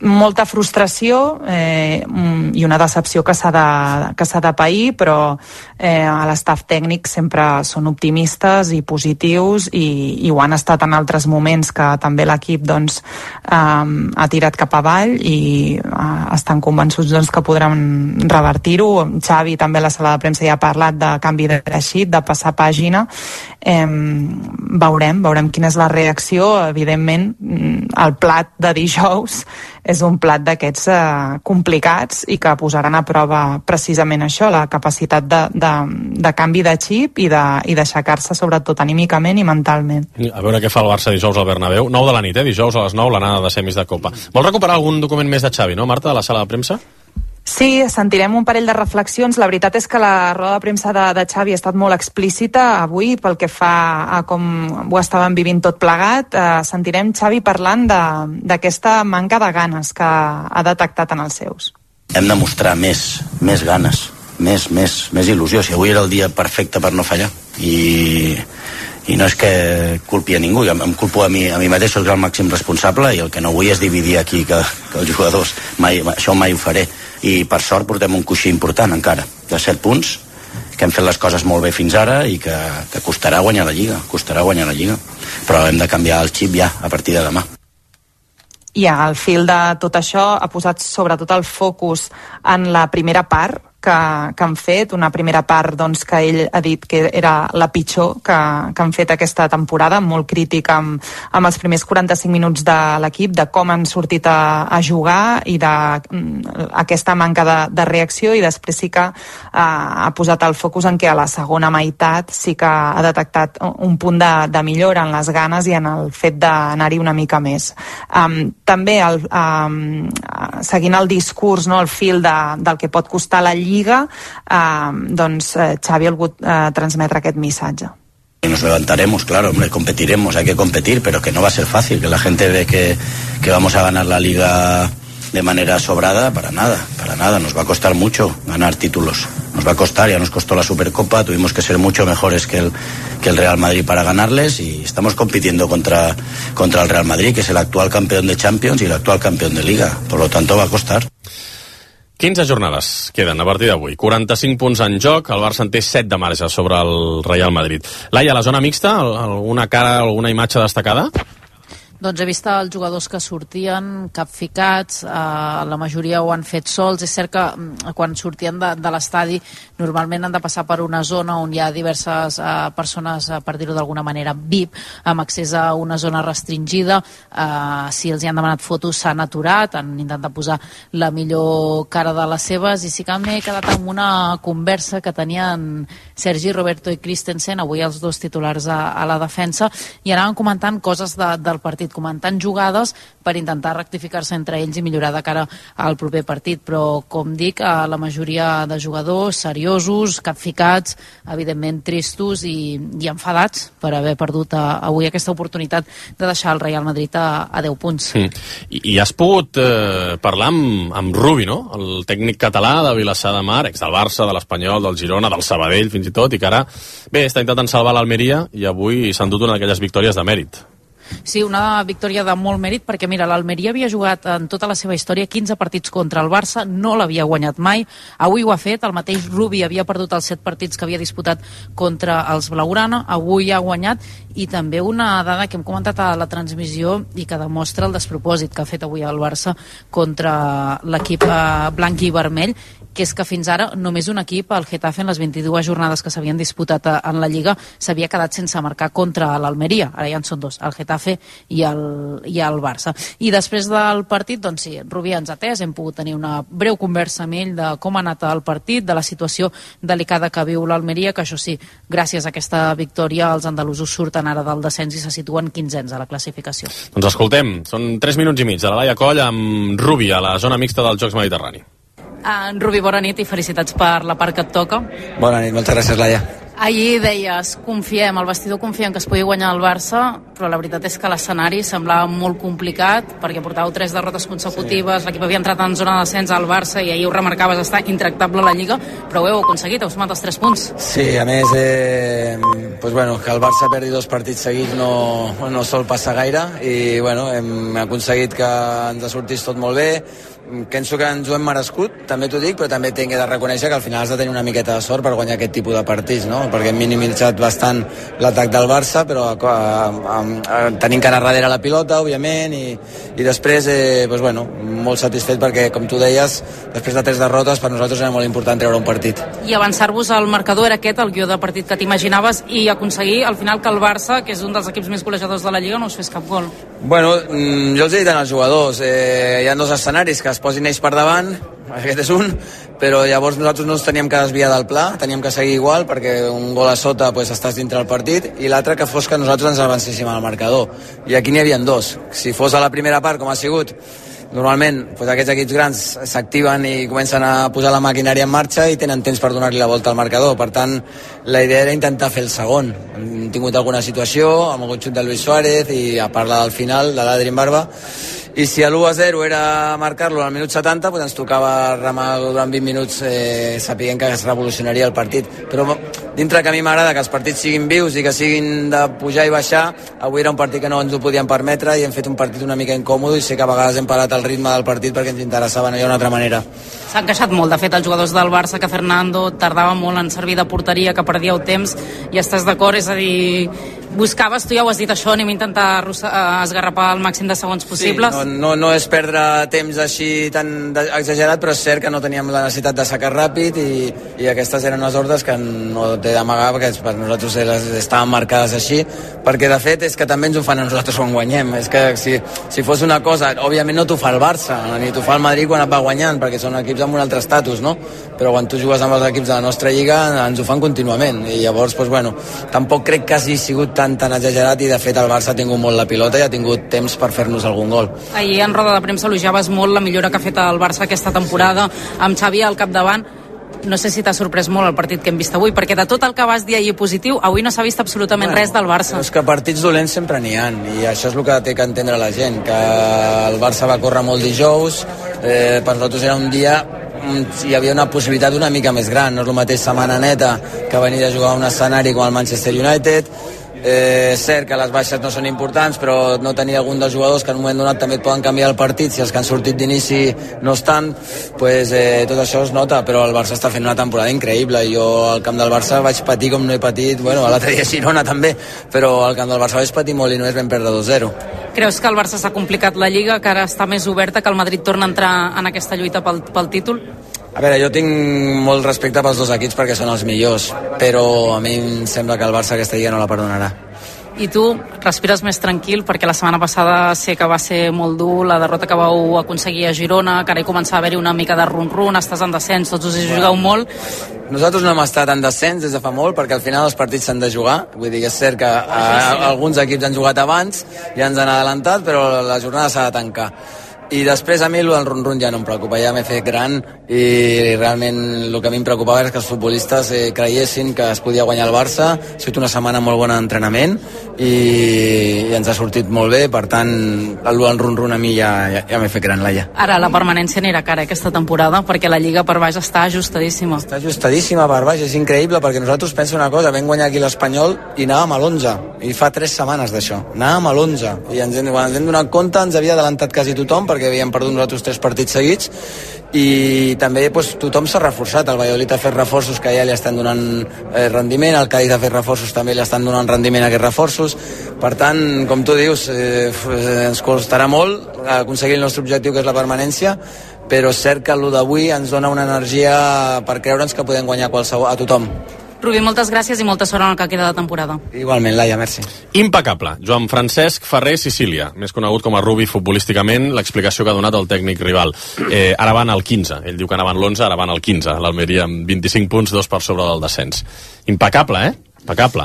Molta frustració i una decepció que s'ha de pair, però a l'estaf tècnic sempre són optimistes i positius i ho han estat en altres moments que també l'equip doncs, ha tirat cap avall i estan convençuts doncs, que podran revertir-ho. Xavi també a la sala de premsa ja ha parlat de canvi de reixit, de passar pàgina. Veurem quina és la reacció. Evidentment, el plat de dijous és un plat d'aquests complicats i que posaran a prova precisament això, la capacitat de canvi de xip i d'aixecar-se sobretot anímicament i mentalment. A veure què fa el Barça dijous al Bernabéu. 9 de la nit, dijous a les 9, l'anada de semis de Copa. Vols recuperar algun document més de Xavi, no, Marta, de la sala de premsa? Sí, sentirem un parell de reflexions. La veritat és que la roda de premsa de Xavi ha estat molt explícita avui pel que fa a com ho estaven vivint tot plegat. Sentirem Xavi parlant d'aquesta manca de ganes que ha detectat en els seus. Hem de mostrar més ganes, més il·lusió. Si avui era el dia perfecte per no fallar i no és que culpi a ningú, em culpo a mi mateix, soc el màxim responsable i el que no vull és dividir aquí que els jugadors, això mai ho faré. I per sort portem un coixí important encara, de 7 punts, que hem fet les coses molt bé fins ara i que costarà guanyar la Lliga, però hem de canviar el xip ja a partir de demà. I al fil de tot això ha posat sobretot el focus en la primera part que han fet, una primera part doncs, que ell ha dit que era la pitjor que han fet aquesta temporada, molt crític amb els primers 45 minuts de l'equip, de com han sortit a jugar i d'aquesta manca de reacció, i després sí que ha posat el focus en que a la segona meitat sí que ha detectat un punt de millora en les ganes i en el fet d'anar-hi una mica més. També seguint el discurs, no, el fil del que pot costar la Lliga, doncs Xavi ha volgut transmetre aquest missatge. Nos levantaremos, claro, hombre, competiremos, hay que competir, pero que no va a ser fácil, que la gente ve que vamos a ganar la Liga de manera sobrada, para nada, nos va a costar mucho ganar títulos, nos va a costar, ya nos costó la Supercopa, tuvimos que ser mucho mejores que el Real Madrid para ganarles y estamos compitiendo contra el Real Madrid, que es el actual campeón de Champions y el actual campeón de Liga, por lo tanto va a costar. 15 jornades queden a partir d'avui, 45 punts en joc, el Barça en té 7 de marge sobre el Real Madrid. Laia, la zona mixta, alguna cara, alguna imatge destacada? Doncs he vist els jugadors que sortien capficats, la majoria ho han fet sols. És cert que quan sortien de l'estadi normalment han de passar per una zona on hi ha diverses persones, per dir-ho d'alguna manera, VIP, amb accés a una zona restringida. Si els hi han demanat fotos s'han aturat, han intentat posar la millor cara de les seves, i sí que m'he quedat amb una conversa que tenien Sergi Roberto i Christensen, avui els dos titulars a la defensa, i anaven comentant coses del partit, comentant jugades per intentar rectificar-se entre ells i millorar de cara al proper partit, però com dic, la majoria de jugadors seriosos, capficats, evidentment tristos i enfadats per haver perdut avui aquesta oportunitat de deixar el Real Madrid a 10 punts. I has pogut parlar amb Rubi, no? El tècnic català de Vilassar de Mar, ex del Barça, de l'Espanyol, del Girona, del Sabadell fins i tot, i que ara està intentant salvar l'Almeria i avui s'han dut una d'aquelles victòries de mèrit. Sí, una victòria de molt mèrit, perquè mira, l'Almeria havia jugat en tota la seva història 15 partits contra el Barça, no l'havia guanyat mai, avui ho ha fet, el mateix Rubi havia perdut els 7 partits que havia disputat contra els Blaugrana, avui ha guanyat, i també una dada que hem comentat a la transmissió i que demostra el despropòsit que ha fet avui el Barça contra l'equip blanc i vermell, que és que fins ara només un equip, el Getafe, en les 22 jornades que s'havien disputat en la Lliga, s'havia quedat sense marcar contra l'Almeria. Ara ja en són 2, el Getafe i el Barça. I després del partit, doncs sí, Rubí ens ha atès, hem pogut tenir una breu conversa amb ell de com ha anat el partit, de la situació delicada que viu l'Almeria, que això sí, gràcies a aquesta victòria els andalusos surten ara del descens i se situen 15ens a la classificació. Doncs escoltem, són 3 minuts i mig de la Laia Coll amb Rubi a la zona mixta dels Jocs Mediterrani. Rubi, bona nit i felicitats per la part que et toca. Bona nit, moltes gràcies, Laia. Ahir deies, confiem, el vestidor confia en que es pugui guanyar el Barça, però la veritat és que l'escenari semblava molt complicat, perquè portàveu 3 derrotes consecutives, l'equip havia entrat en zona de descens al Barça i ahir ho remarcaves, està intractable a la Lliga, però ho heu aconseguit, heu sumat els 3 punts. Sí, a més, pues bueno, que el Barça perdi 2 partits seguits no sol passar gaire, i bueno, hem aconseguit que ens sortís tot molt bé. Penso que ens ho hem merescut, també t'ho dic, però també tinc de reconèixer que al final has de tenir una miqueta de sort per guanyar aquest tipus de partits, no? Perquè hem minimitzat bastant l'atac del Barça, però tenim que anar darrere la pilota, òbviament, i després, pues bueno, molt satisfet perquè, com tu deies, després de 3 derrotes, per nosaltres era molt important treure un partit. I avançar-vos al marcador era aquest, el guió de partit que t'imaginaves, i aconseguir al final que el Barça, que és un dels equips més golejadors de la Lliga, no us fes cap gol. Bueno, jo els he dit als jugadors, hi ha 2 escenaris, que es posin ells per davant, aquest és un, però llavors nosaltres no ens teníem que desviar del pla, teníem que seguir igual, perquè un gol a sota pues, estàs dintre del partit, i l'altre que fos que nosaltres ens avancéssim al marcador. I aquí n'hi havia 2. Si fos a la primera part, com ha sigut, normalment pues, aquests equips grans s'activen i comencen a posar la maquinària en marxa i tenen temps per donar-li la volta al marcador. Per tant, la idea era intentar fer el segon. Hem tingut alguna situació, amb algun xut de Luis Suárez i a parlar del final, de l'Adri Barba, i si l'1-0 era marcar-lo al minut 70, pues ens tocava remar durant 20 minuts sapiguent que es revolucionaria el partit. Però dintre que a mi m'agrada que els partits siguin vius i que siguin de pujar i baixar, avui era un partit que no ens ho podíem permetre i hem fet un partit una mica incòmode, i sé que a vegades hem parat el ritme del partit perquè ens interessava, no hi ha una altra manera. S'han queixat molt, de fet, els jugadors del Barça, que Fernando tardava molt en servir de porteria, que perdíeu temps, i estàs d'acord? És a dir, buscaves, tu ja ho has dit, això, anem a intentar esgarrapar el màxim de segons possibles. Sí, no és perdre temps així tan exagerat, però és cert que no teníem la necessitat de sacar ràpid, i aquestes eren les ordres que no t'he d'amagar, perquè per nosaltres estaven marcades així, perquè de fet és que també ens ho fan a nosaltres quan guanyem. És que si fos una cosa, òbviament no t'ho fa el Barça, ni t'ho fa el Madrid quan et va guanyant, perquè són equips amb un altre estatus, no? Però quan tu jugues amb els equips de la nostra lliga ens ho fan contínuament, i llavors, pues, bueno, tampoc crec que hagi sigut tan exagerat, i de fet el Barça ha tingut molt la pilota i ha tingut temps per fer-nos algun gol. Ahir en roda de premsa elogiaves molt la millora que ha fet el Barça aquesta temporada, amb Xavi al capdavant. No sé si t'ha sorprès molt el partit que hem vist avui, perquè de tot el que vas dir ahir positiu, avui no s'ha vist absolutament res del Barça. És que partits dolents sempre n'hi ha, i això és el que té que entendre la gent, que el Barça va córrer molt dijous, per nosaltres era un dia hi havia una possibilitat una mica més gran, no és el mateix setmana neta que venir a jugar a un escenari com el Manchester United. És cert que les baixes no són importants, però no tenir algun dels jugadors que en un moment donat també et poden canviar el partit, si els que han sortit d'inici no estan, pues, tot això es nota, però el Barça està fent una temporada increïble. Jo al camp del Barça vaig patir com no he patit, bueno, l'altre dia a Girona també, però al camp del Barça vaig patir molt i només vam perdre 2-0. Creus que el Barça s'ha complicat la Lliga, que ara està més oberta, que el Madrid torna a entrar en aquesta lluita pel títol? A veure, jo tinc molt respecte pels 2 equips perquè són els millors, però a mi em sembla que el Barça aquesta lliga no la perdonarà. I tu respires més tranquil, perquè la setmana passada sé que va ser molt dur la derrota que vau aconseguir a Girona, que ara hi començava a haver-hi una mica de run-run, estàs en descens, tots us hi jugueu molt. Nosaltres no hem estat en descens des de fa molt, perquè al final els partits s'han de jugar, vull dir que és cert que alguns equips han jugat abans i ens han adelantat, però la jornada s'ha de tancar. I després a mi el run-run ja no em preocupa, ja m'he fet gran i realment el que a mi em preocupava és que els futbolistes creiessin que es podia guanyar el Barça. Ha sigut una setmana molt bona d'entrenament i ens ha sortit molt bé, per tant el run-run a mi ja m'he fet gran, Laia. Ara la permanència anirà cara aquesta temporada perquè la Lliga per baix està ajustadíssima. Està ajustadíssima per baix, és increïble perquè nosaltres pensem una cosa, vam guanyar aquí l'Espanyol i anàvem a l'11 i fa 3 setmanes d'això, anàvem a l'11 i quan ens hem donat compte ens havia adelantat quasi tothom perquè havíem perdut nosaltres 3 partits seguits i també tothom s'ha reforçat. El Valladolid ha fet reforços que ja li estan donant rendiment, el Cádiz ha fet reforços també li estan donant rendiment a aquests reforços. Per tant, com tu dius, ens costarà molt aconseguir el nostre objectiu, que és la permanència, però és cert que el d'avui ens dona una energia per creure'ns que podem guanyar a tothom. Rubí, moltes gràcies i molta sort en el que queda de temporada. Igualment, Laia, merci. Impecable. Joan Francesc Ferrer Sicília, més conegut com a Rubi futbolísticament, l'explicació que ha donat el tècnic rival. Ara van al 15. Ell diu que anaven l'11, ara van al 15. L'Almeria amb 25 punts, 2 per sobre del descens. Impecable, Impecable.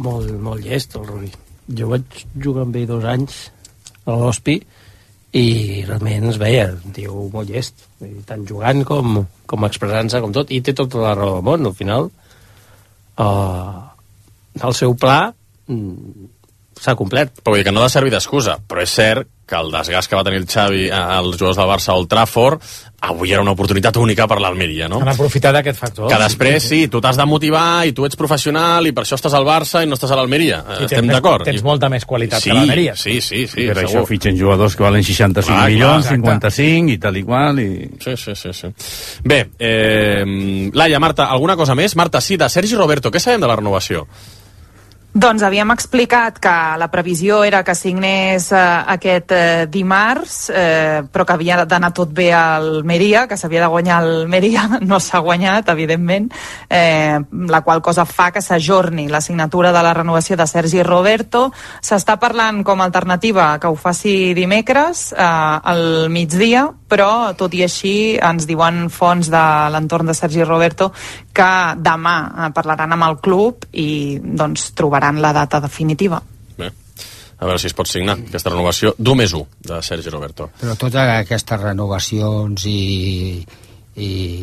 Molt llest, el Rubi. Jo vaig jugar amb ell 2 anys a l'Hospi i realment es veia, diu, molt llest. Tant jugant com expressant-se, com tot, i té tota la raó del món, al final. El seu pla s'ha complert. Però vull dir que no ha de servir d'excusa, però és cert que el desgast que va tenir el Xavi als jugadors del Barça a Old Trafford avui era una oportunitat única per l'Almeria, no? Han aprofitat aquest factor. Que després, sí, tu t'has de motivar i tu ets professional i per això estàs al Barça i no estàs a l'Almeria. Estem d'acord. Tens molta més qualitat que l'Almeria. Sí, per això fitxen jugadors que valen 65 milions, 55 i tal i qual. Sí. Bé, Laia, Marta, alguna cosa més? Marta, sí, de Sergi Roberto, què sabem de la renovació? Doncs havíem explicat que la previsió era que signés aquest dimarts, però que havia d'anar tot bé al Almeria, que s'havia de guanyar el Almeria, no s'ha guanyat, evidentment, la qual cosa fa que s'ajorni la signatura de la renovació de Sergi Roberto. S'està parlant com a alternativa que ho faci dimecres al migdia, però tot i així ens diuen fonts de l'entorn de Sergi Roberto que demà parlaran amb el club i doncs trobaran la data definitiva. Bé, a veure si es pot signar aquesta renovació d'1+1 de Sergi Roberto. Però totes aquestes renovacions i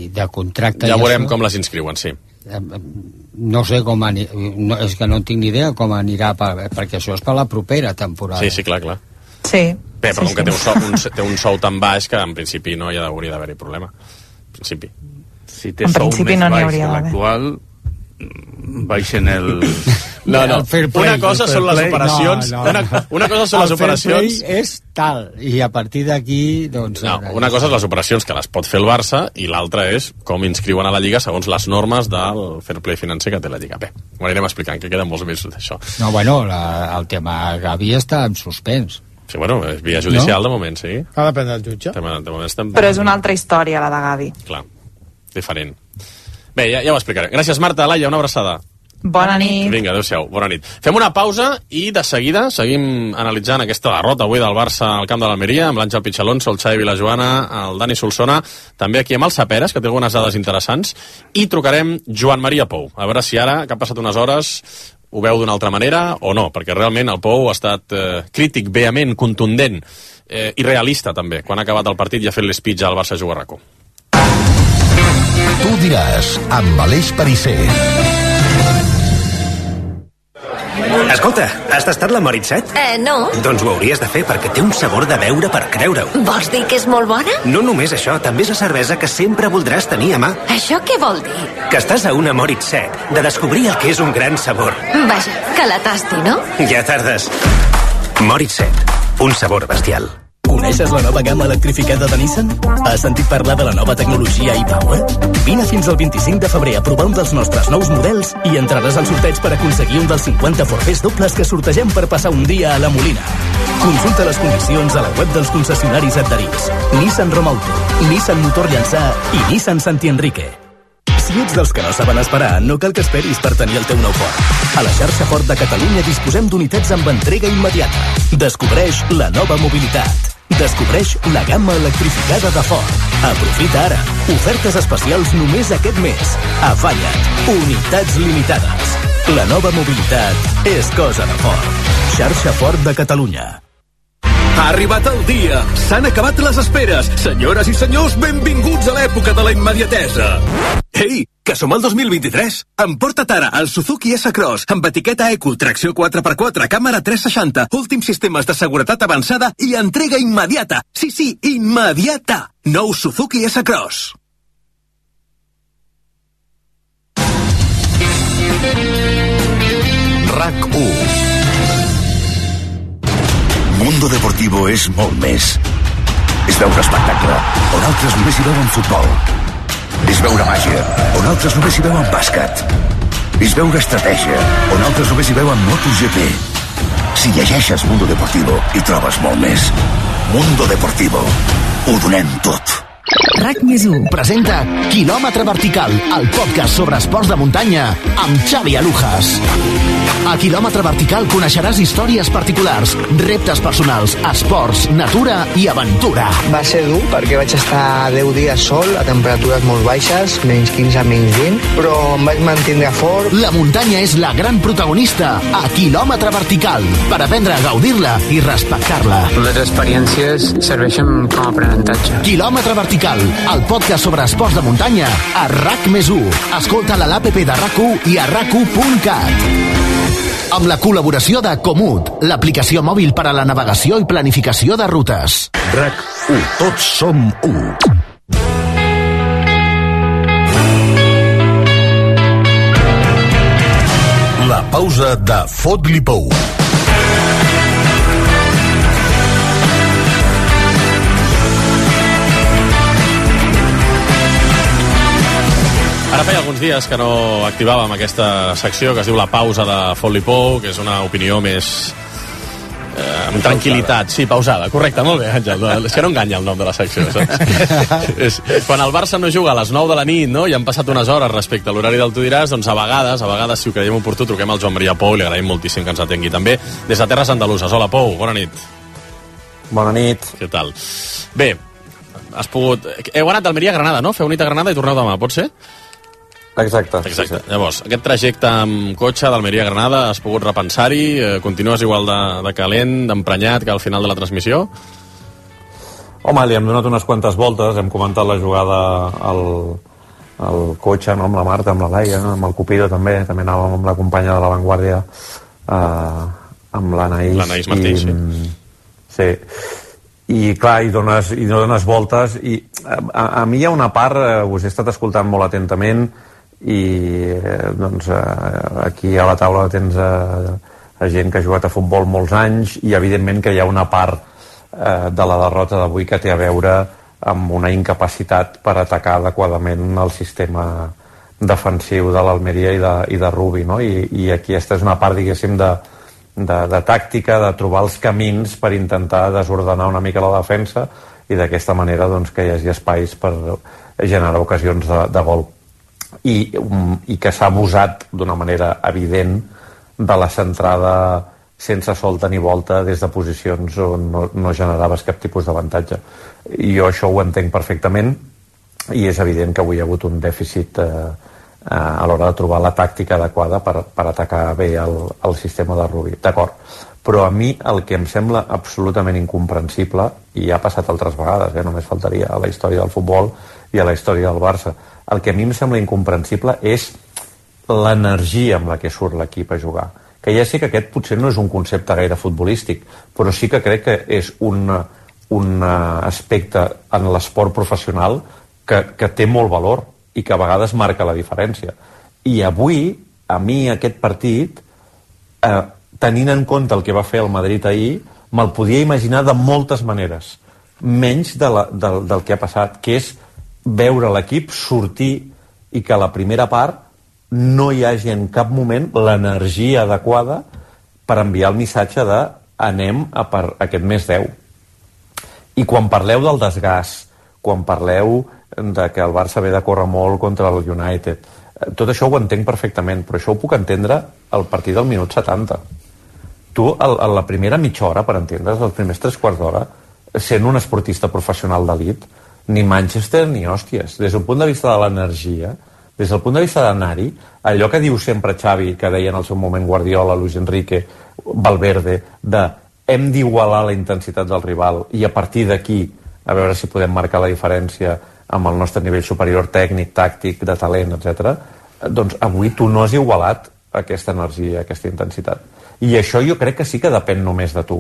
de contracte... Ja veurem com les inscriuen, sí. No sé com és que no tinc ni idea com anirà, perquè això és per la propera temporada. Sí, clar. Sí. Bé, però com que té un sou tan baix que en principi no hauria d'haver-hi problema. En principi. Si té sou més baix que l'actual, baixen el... No. Una cosa són les operacions... Una cosa són les operacions... El fair play és tal, i a partir d'aquí, doncs... No, una cosa és les operacions que les pot fer el Barça i l'altra és com inscriuen a la Lliga segons les normes del fair play financer que té la Lliga. Bé, ho anirem explicant, que queden molts mesos d'això. No, bueno, el tema Gavi està en suspens. Sí, bueno, és via judicial de moment, sí. Ha de prendre el jutge. Però és una altra història, la de Gavi. Clar, diferent. Bé, ja ho explicaré. Gràcies, Marta. Laia, una abraçada. Bona nit. Vinga, adéu-siau, bona nit. Fem una pausa i de seguida seguim analitzant aquesta derrota avui del Barça al camp de l'Almeria, amb l'Àngel Pichalonso, el Xavi Vilajoana, el Dani Solsona, també aquí amb el Saperes, que té algunes dades interessants, i trucarem Joan Maria Pou. A veure si ara, que ha passat unes hores, ho veu d'una altra manera o no, perquè realment el Pou ha estat crític, vehement, contundent i realista també, quan ha acabat el partit i ha fet l'speech al Barça Juga RAC1. Tu diràs, amb Aleix Pariser. Escolta, has tastat la Moritz 7? No. Doncs ho hauries de fer perquè té un sabor de beure per creure-ho. Vols dir que és molt bona? No només això, també és la cervesa que sempre voldràs tenir a mà. Això què vol dir? Que estàs a una Moritz 7, de descobrir el que és un gran sabor. Vaja, que la tasti, no? Ja tardes. Moritz 7, un sabor bestial. Coneixes la nova gamma electrificada de Nissan? Has sentit parlar de la nova tecnologia e-Power? Vine fins al 25 de febrer a provar un dels nostres nous models i entraràs al sorteig per aconseguir un dels 50 forfers dobles que sortegem per passar un dia a la Molina. Consulta les condicions a la web dels concessionaris adherits. Nissan Romauto, Nissan Motor Llançà i Nissan Santi Enrique. Si ets dels que no saben esperar, no cal que esperis per tenir el teu nou Ford. A la xarxa Ford de Catalunya disposem d'unitats amb entrega immediata. Descobreix la nova mobilitat. Descobreix la gamma electrificada de Ford. Aprofita ara. Ofertes especials només aquest mes. Afanya't. Unitats limitades. La nova mobilitat és cosa de Ford. Xarxa Ford de Catalunya. Ha arribat el dia. S'han acabat les esperes. Senyores i senyors, benvinguts a l'època de la immediatesa. Ei, que som al 2023. Emporta't ara el Suzuki S-Cross amb etiqueta Eco, tracció 4x4, càmera 360, últims sistemes de seguretat avançada i entrega immediata. Sí, immediata. Nou Suzuki S-Cross. RAC1. Mundo Deportivo és molt més. És veure espectacle, on altres només hi veuen futbol. És veure màgia, on altres només hi veuen bàsquet. És veure estratègia, on altres només hi veuen MotoGP. Si llegeixes Mundo Deportivo, hi trobes molt més. Mundo Deportivo. Ho donem tot. RAC+1 presenta Quilòmetre Vertical, el podcast sobre esports de muntanya amb Xavi Alujas. A Quilòmetre Vertical coneixeràs històries particulars, reptes personals, esports, natura i aventura. Va ser dur perquè vaig estar 10 dies sol a temperatures molt baixes, menys 15, menys 20, però em vaig mantenir fort. La muntanya és la gran protagonista a Quilòmetre Vertical, per aprendre a gaudir-la i respectar-la. Les experiències serveixen com a aprenentatge. Quilòmetre Vertical, el podcast sobre esports de muntanya a RAC+1. Escolta-la a l'APP de RAC1 i a RAC1.cat. Amb la col·laboració de Comut, l'aplicació mòbil per a la navegació i planificació de rutes. RAC1. Tots som 1. La pausa de Fot-li Pou. Ara feia alguns dies que no activàvem aquesta secció que es diu La pausa de Fot-li Pou, que és una opinió més amb tranquil·litat. Sí, pausada, correcte, molt bé, Àngel. És que no enganya el nom de la secció, saps? Quan el Barça no juga a les 9 de la nit, no?, i han passat unes hores respecte a l'horari del Tu diràs, doncs a vegades, si ho creiem oportú, truquem al Joan Maria Pou i li agraïm moltíssim que ens atengui també des de Terres Andaluses. Hola, Pou, bona nit. Bona nit. Què tal? Bé, has pogut... Heu anat d'Almeria a Granada, no? Feu nit a Granada i torneu demà, pot ser? Exacte. Sí. Llavors, aquest trajecte amb cotxe d'Almeria a Granada, has pogut repensar-hi? Continues igual de calent, d'emprenyat que al final de la transmissió? Home, li hem donat unes quantes voltes, hem comentat la jugada al cotxe, no? Amb la Marta, amb la Laia, amb el Cupido també anàvem amb la companya de l'Avantguàrdia, amb l'Anaïs Martí, sí. Sí. I clar, hi dones voltes i a mi hi ha una part, us he estat escoltant molt atentament i doncs aquí a la taula tens a gent que ha jugat a futbol molts anys i evidentment que hi ha una part de la derrota d'avui que té a veure amb una incapacitat per atacar adequadament el sistema defensiu de l'Almeria i de Rubi, no? I aquí aquesta és una part, diguéssim, de tàctica, de trobar els camins per intentar desordenar una mica la defensa i d'aquesta manera doncs, que hi hagi espais per generar ocasions de gol. I que s'ha abusat d'una manera evident de la centrada sense solta ni volta des de posicions on no generaves cap tipus d'avantatge. I jo això ho entenc perfectament i és evident que avui hi ha hagut un dèficit a l'hora de trobar la tàctica adequada per atacar bé el sistema de Rubi. D'acord, però a mi el que em sembla absolutament incomprensible, i ha passat altres vegades, només faltaria a la història del futbol i a la història del Barça, el que a mi em sembla incomprensible és l'energia amb la que surt l'equip a jugar. Que ja sé que aquest potser no és un concepte gaire futbolístic, però sí que crec que és un aspecte en l'esport professional que té molt valor i que a vegades marca la diferència. I avui, a mi aquest partit, tenint en compte el que va fer el Madrid ahir, me'l podia imaginar de moltes maneres, menys del que ha passat, que és veure l'equip sortir i que a la primera part no hi hagi en cap moment l'energia adequada per enviar el missatge de anem a per aquest més 10. I quan parleu del desgast, quan parleu de que el Barça ve de córrer molt contra el United, tot això ho entenc perfectament, però això ho puc entendre al partir del minut 70. Tu, a la primera mitja hora, per entendre's, els primers 3/4 d'hora, sent un esportista professional d'elit, ni Manchester ni hòsties. Des del punt de vista de l'energia, des del punt de vista d'anar-hi, allò que diu sempre Xavi, que deia en el seu moment Guardiola, Luis Enrique, Valverde, de hem d'igualar la intensitat del rival i a partir d'aquí a veure si podem marcar la diferència amb el nostre nivell superior tècnic, tàctic, de talent, etc. Doncs avui tu no has igualat aquesta energia, aquesta intensitat. I això jo crec que sí que depèn només de tu.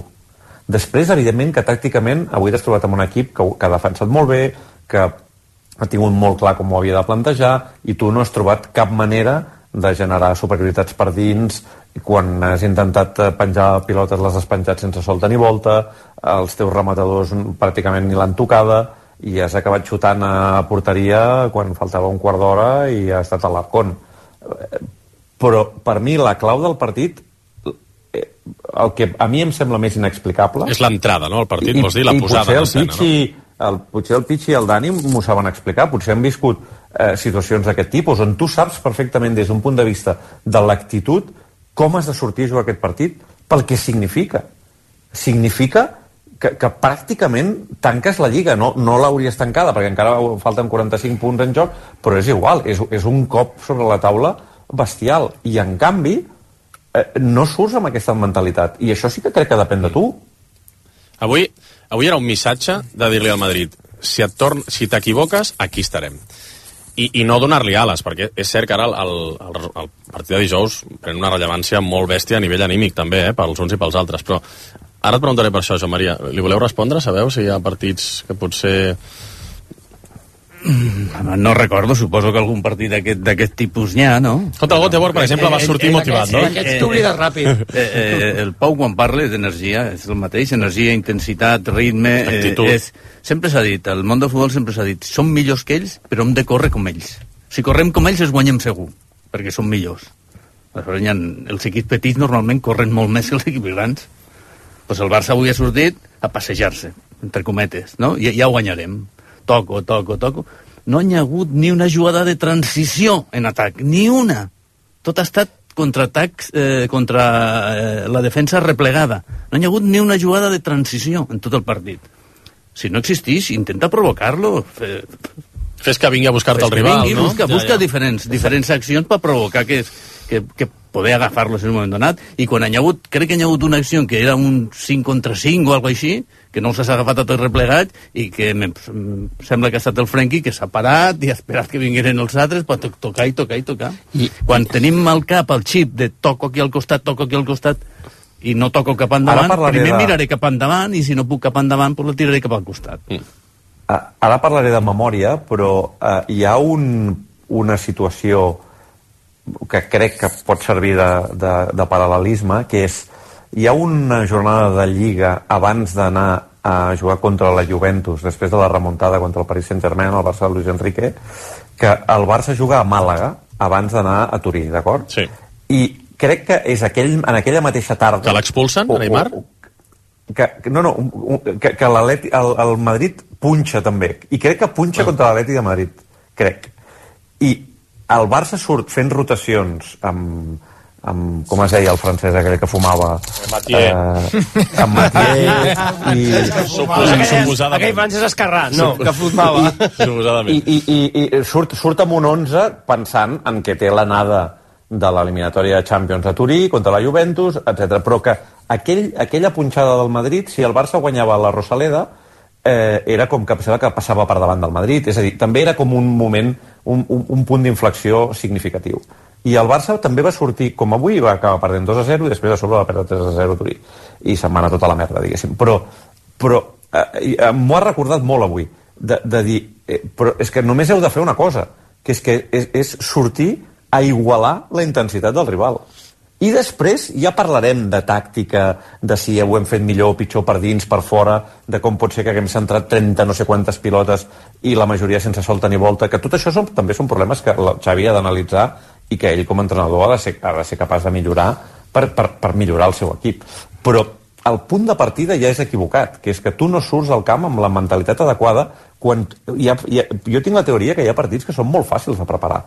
Després, evidentment, que tàcticament avui t'has trobat amb un equip que ha defensat molt bé, que ha tingut molt clar com ho havia de plantejar, i tu no has trobat cap manera de generar superioritats per dins. Quan has intentat penjar pilotes les has penjat sense solta ni volta, els teus rematadors pràcticament ni l'han tocada, i has acabat xutant a porteria quan faltava un quart d'hora i ha estat a l'Arcón. Però per mi la clau del partit, el que a mi em sembla més inexplicable... És l'entrada, no?, al partit, vols dir, la posada en escena, no? Potser el Pichi i el Dani m'ho saben explicar, potser han viscut situacions d'aquest tipus, on tu saps perfectament des d'un punt de vista de l'actitud com has de sortir a jugar aquest partit pel que significa. Significa que pràcticament tanques la Lliga, no l'hauries tancada perquè encara falten 45 punts en joc, però és igual, és un cop sobre la taula bestial, i en canvi no surts amb aquesta mentalitat, i això sí que crec que depèn de tu. Avui era un missatge de dir-li al Madrid, si t'equivoques, aquí estarem. I no donar-li ales, perquè és cert que ara el partit de dijous pren una rellevància molt bèstia a nivell anímic també, pels uns i pels altres, però ara et preguntaré per això, Joan Maria. Li voleu respondre? Sabeu si hi ha partits que potser... No recordo, suposo que algun partit d'aquest tipus n'hi ha, no? Contra el Göteborg, per exemple, va sortir motivat, no? Aquests t'oblides ràpid. El Pau, quan parla d'energia, és el mateix, energia, intensitat, ritme... Sempre s'ha dit, al món del futbol sempre s'ha dit, som millors que ells, però hem de córrer com ells. Si correm com ells, els guanyem segur, perquè som millors. Els equips petits normalment corren molt més que els equips grans. Pues el Barça avui ha sortit a passejar-se, entre cometes, no? Ja ho guanyarem. Toco. No hi ha hagut ni una jugada de transició en atac, ni una. Tot ha estat contraatacs contra la defensa replegada. No hi ha hagut ni una jugada de transició en tot el partit. Si no existís, intenta provocar-lo. Fes que vingui a buscar-te el rival, no? Busca diferents accions per provocar que poder agafar-lo en un moment donat, i quan crec que hi ha hagut una acció que era un 5 contra 5 o alguna cosa així, que no s'ha agafat a tot replegat, i que sembla que ha estat el Frenkie que s'ha parat i ha esperat que vingueren els altres per tocar. Quan tenim al cap el xip de toco aquí al costat i no toco cap endavant, primer miraré cap endavant, i si no puc cap endavant, pues la tiraré cap al costat. Ara parlaré de memòria, però hi ha una situació que crec que pot servir de paral·lelisme, que és, hi ha una jornada de Lliga abans d'anar a jugar contra la Juventus, després de la remuntada contra el Paris Saint-Germain, el Barça de Luis Enrique, que el Barça juga a Màlaga abans d'anar a Turí, d'acord? Sí. I crec que és en aquella mateixa tarda... Que l'expulsen, Neymar? Que el Madrid punxa també, i crec que punxa contra l'Atlètic de Madrid, crec. I el Barça surt fent rotacions amb com es deia el francès aquell que fumava, amb Mathieu suposadament. Aquell francès esquerrà, no, que fumava i surt amb un 11 pensant en que té l'anada de l'eliminatòria de Champions a Turí contra la Juventus, etc. Però que aquella punxada del Madrid, si el Barça guanyava la Rosaleda, era com que passava per davant del Madrid, és a dir, també era com un moment, un punt d'inflexió significatiu. I el Barça també va sortir, com avui, va acabar perdent 2-0 i després a sobre va perdre 3-0 a Turí. I se'n va anar tota la merda, diguéssim. Però m'ho ha recordat molt avui, de dir, però és que només heu de fer una cosa, que és sortir a igualar la intensitat del rival. I després ja parlarem de tàctica, de si ho hem fet millor o pitjor per dins, per fora, de com pot ser que haguem centrat 30 no sé quantes pilotes i la majoria sense solta ni volta, que tot això també són problemes que el Xavi ha d'analitzar i que ell com a entrenador ha de ser capaç de millorar per millorar el seu equip. Però el punt de partida ja és equivocat, que és que tu no surts al camp amb la mentalitat adequada quan jo tinc la teoria que hi ha partits que són molt fàcils de preparar.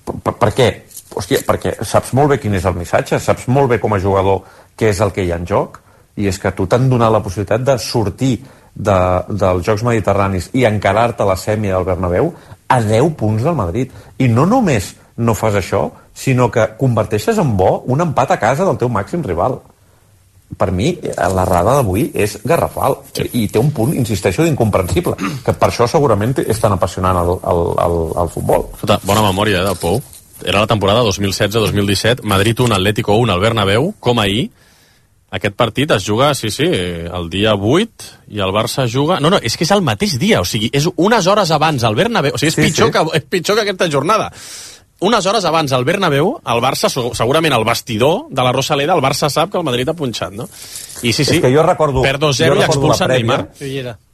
Per què? Hòstia, perquè saps molt bé quin és el missatge, saps molt bé com a jugador què és el que hi ha en joc, i és que tu t'han donat la possibilitat de sortir dels Jocs Mediterranis i encarar-te a la semi del Bernabéu a 10 punts del Madrid. I no només no fas això, sinó que converteixes en bo un empat a casa del teu màxim rival. per mi, l'errada d'avui és garrafal. I té un punt, insisteixo, d'incomprensible. Que per això segurament és tan apassionant el futbol. Bona memòria, del Pou. Era la temporada 2016-2017, Madrid 1, Atlético 1 al Bernabéu, com ahir. Aquest partit es juga, el dia 8, i el Barça juga... No, és que és el mateix dia, o sigui, és unes hores abans al Bernabéu, o sigui, és pitjor que aquesta jornada. Unes hores abans al Bernabéu, el Barça, segurament el vestidor de la Rosaleda, el Barça sap que el Madrid ha punxat, no? I És que jo recordo... perd 2-0 i expulsa Neymar.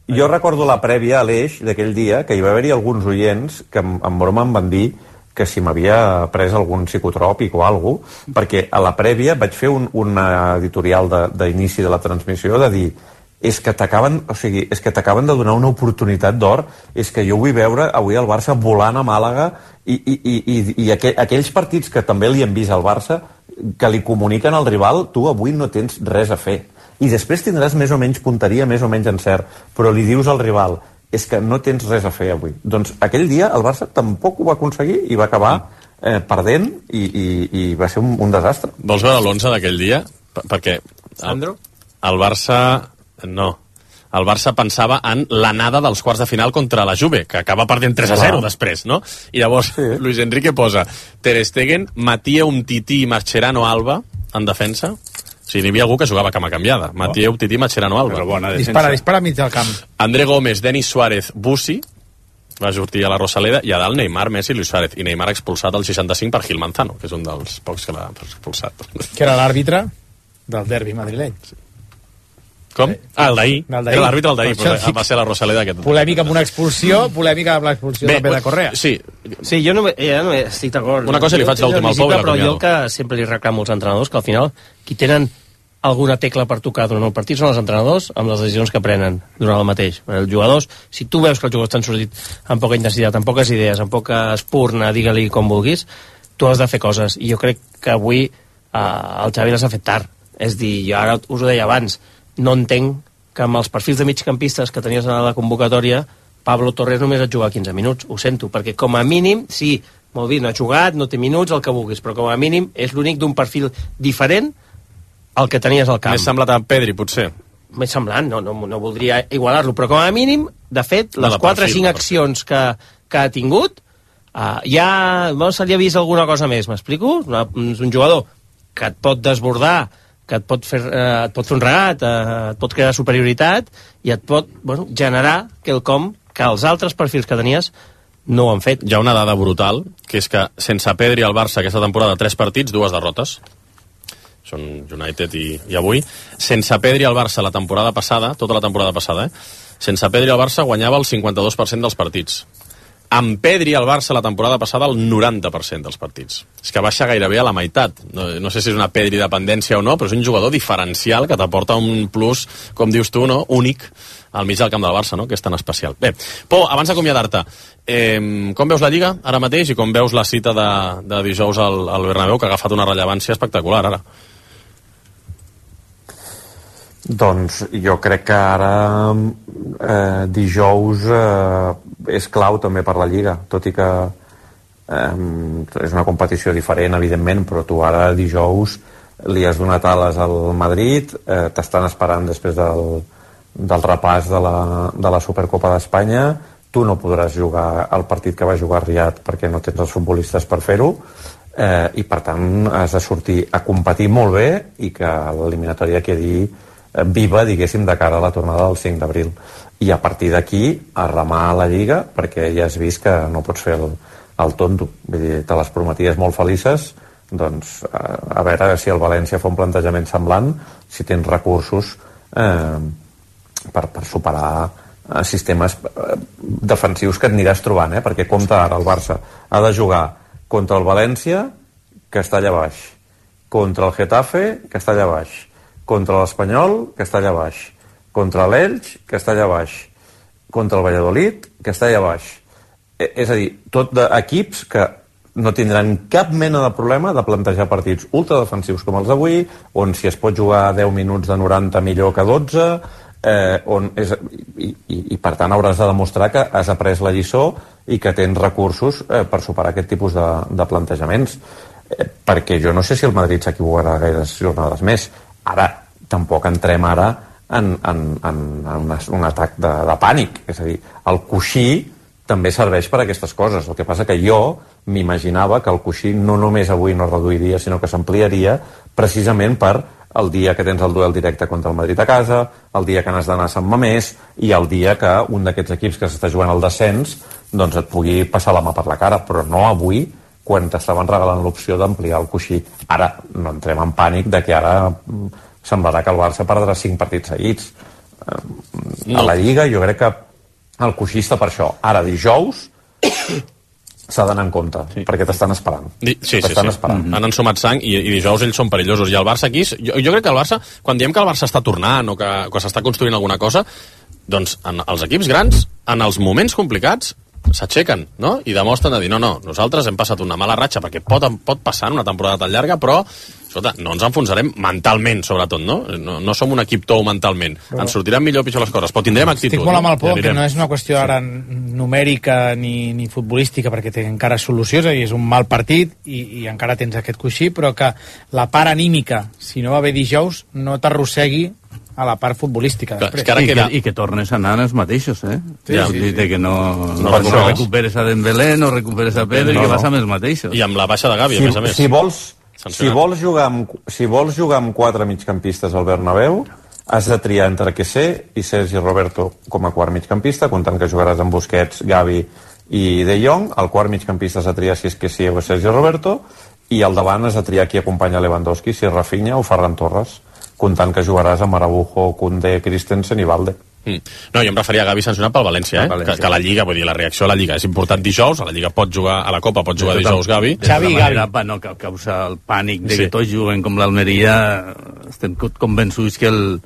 Jo recordo la prèvia a l'Eix d'aquell dia, que hi va haver-hi alguns oients que en broma em van dir que si m'havia pres algun psicotròpic o alguna cosa, perquè a la prèvia vaig fer un editorial d'inici de la transmissió de dir és que t'acaben de donar una oportunitat d'or, és que jo vull veure avui el Barça volant a Màlaga i aquells partits que també li hem vist al Barça que li comuniquen al rival, tu avui no tens res a fer. I després tindràs més o menys punteria, més o menys encert, però li dius al rival és que no tens res a fer avui. Doncs aquell dia el Barça tampoc ho va aconseguir i va acabar perdent i va ser un desastre. Vols veure l'11 d'aquell dia? Perquè el Barça... No. El Barça pensava en l'anada dels quarts de final contra la Juve, que acaba perdent 3-0 després, no? I llavors Luis Enrique posa Ter Stegen, Mathieu Umtiti i Mascherano Alba en defensa. O sigui, n'hi havia algú que jugava cama canviada. Mathieu Umtiti i Mascherano Alba. Dispara mig del camp. André Gómez, Denis Suárez, Bussi, va sortir a la Rosaleda, i a dalt Neymar, Messi i Luis Suárez. I Neymar expulsat al 65 per Gil Manzano, que és un dels pocs que l'ha expulsat. Que era l'àrbitre del derbi madrileny. Com? El d'ahir. Era l'àrbitre del d'ahir, va ser la Rosaleda aquest. Polèmica amb una expulsió, polèmica amb l'expulsió també de Correa. Sí, jo no estic d'acord. Una cosa li faig l'últim al Pau i però jo el que sempre li reclamo als entrenadors, que al final qui tenen alguna tecla per tocar durant el partit són els entrenadors amb les decisions que prenen durant el mateix. Els jugadors, si tu veus que els jugadors t'han sortit amb poca intensitat, amb poques idees, amb poca espurna, digue-li com vulguis, tu has de fer coses. I jo crec que avui el Xavi les ha fet tard. És dir, jo ara us ho deia abans, no entenc que amb els perfils de migcampistes que tenies a la convocatòria Pablo Torres només et juga 15 minuts, ho sento, perquè com a mínim, sí, molt bé, no ha jugat, no té minuts, el que vulguis, però com a mínim és l'únic d'un perfil diferent al que tenies al camp. Més semblat a Pedri, potser. Més semblant, no voldria igualar-lo, però com a mínim, de fet, les 4 o 5 accions que ha tingut, se li ha vist alguna cosa més, m'explico? És un jugador que et pot desbordar, que et pot fer un regat, et pot crear superioritat i et pot generar quelcom que els altres perfils que tenies no ho han fet. Hi ha una dada brutal, que és que sense Pedri al Barça aquesta temporada 3 partits, 2 derrotes. Són United i avui. Sense Pedri al Barça la temporada passada, tota la temporada passada, sense Pedri al Barça guanyava el 52% dels partits. Amb Pedri al Barça la temporada passada el 90% dels partits. És que baixa gairebé a la meitat. No sé si és una Pedri dependència o no, però és un jugador diferencial que t'aporta un plus, com dius tu, no? Únic al mig del camp del Barça, no? Que és tan especial. Bé, Pau, abans d'acomiadar-te, com veus la Lliga ara mateix i com veus la cita de dijous al Bernabéu, que ha agafat una rellevància espectacular ara? Doncs jo crec que ara dijous és clau també per la Lliga, tot i que és una competició diferent, evidentment, però tu ara dijous li has donat ales al Madrid, t'estan esperant després del repàs de la Supercopa d'Espanya, tu no podràs jugar el partit que va jugar Riyad perquè no tens els futbolistes per fer-ho, i per tant has de sortir a competir molt bé i que l'eliminatòria quedi viva, diguéssim, de cara a la tornada del 5 d'abril. I a partir d'aquí a remar a la Lliga, perquè ja has vist que no pots fer el tonto. Vull dir, te les prometies molt felices, doncs a veure si el València fa un plantejament semblant, si tens recursos per superar sistemes defensius que et aniràs trobant, perquè compta ara el Barça ha de jugar contra el València, que està allà baix, contra el Getafe, que està allà baix, contra l'Espanyol, que està allà baix, contra l'Elx, que està allà baix, contra el Valladolid, que està allà baix. És a dir, tot d'equips que no tindran cap mena de problema de plantejar partits ultradefensius com els d'avui, on si es pot jugar 10 minuts de 90 millor que 12, i per tant hauràs de demostrar que has après la lliçó i que tens recursos per superar aquest tipus de plantejaments. Perquè jo no sé si el Madrid s'equivocarà gaires jornades més. Ara, tampoc entrem ara en un atac de pànic. És a dir, el coixí també serveix per a aquestes coses. El que passa que jo m'imaginava que el coixí no només avui no es reduiria, sinó que s'ampliaria precisament per el dia que tens el duel directe contra el Madrid a casa, el dia que n'has d'anar a Sant Mamés i el dia que un d'aquests equips que s'està jugant al descens doncs et pugui passar la mà per la cara, però no avui, quan t'estaven regalant l'opció d'ampliar el coixí. Ara no entrem en pànic de que ara semblarà que el Barça perdrà 5 partits seguits. A la Lliga jo crec que el coixí està per això. Ara, dijous, s'ha d'anar en compte, perquè t'estan esperant. Esperant. Han ensumat sang i dijous ells són perillosos. I el Barça aquí, jo crec que el Barça, quan diem que el Barça està tornant o que s'està construint alguna cosa, doncs els equips grans, en els moments complicats, s'aixequen, no? I demostren de dir, no, nosaltres hem passat una mala ratxa, perquè pot passar en una temporada tan llarga, però escolta, no ens enfonsarem mentalment, sobretot, no? No som un equip tou mentalment. Ens sortiran millor o pitjor les coses, però tindrem actitud. Estic molt amb el por, que no és una qüestió ara numèrica ni futbolística, perquè té encara solució, és a dir, és un mal partit i encara tens aquest coixí, però que la part anímica, si no va bé dijous, no t'arrossegui a la part futbolística. I que tornes a anar els mateixos, que no recuperes a Dembélé, no recuperes a Pedri, que vas amb els mateixos. I amb la baixa de Gavi, a més a més. Si vols jugar amb 4 migcampistes al Bernabéu, has de triar entre Kesé i Sergi Roberto com a quart migcampista, comptant que jugaràs amb Busquets, Gavi i De Jong. El quart migcampista has de triar si és Kesé o Sergi Roberto, i al davant has de triar qui acompanya Lewandowski, si és Rafinha o Ferran Torres, comptant que jugaràs amb Araujo, Koundé, Christensen i Valde. No, jo em referia a Gavi sancionat pel València, que la Lliga, vull dir, la reacció a la Lliga és important dijous, a la Lliga pot jugar, a la Copa pot jugar dijous Gavi. Xavi i Gavi. No causa el pànic de que tots juguen com l'Almeria, estem convençuts que el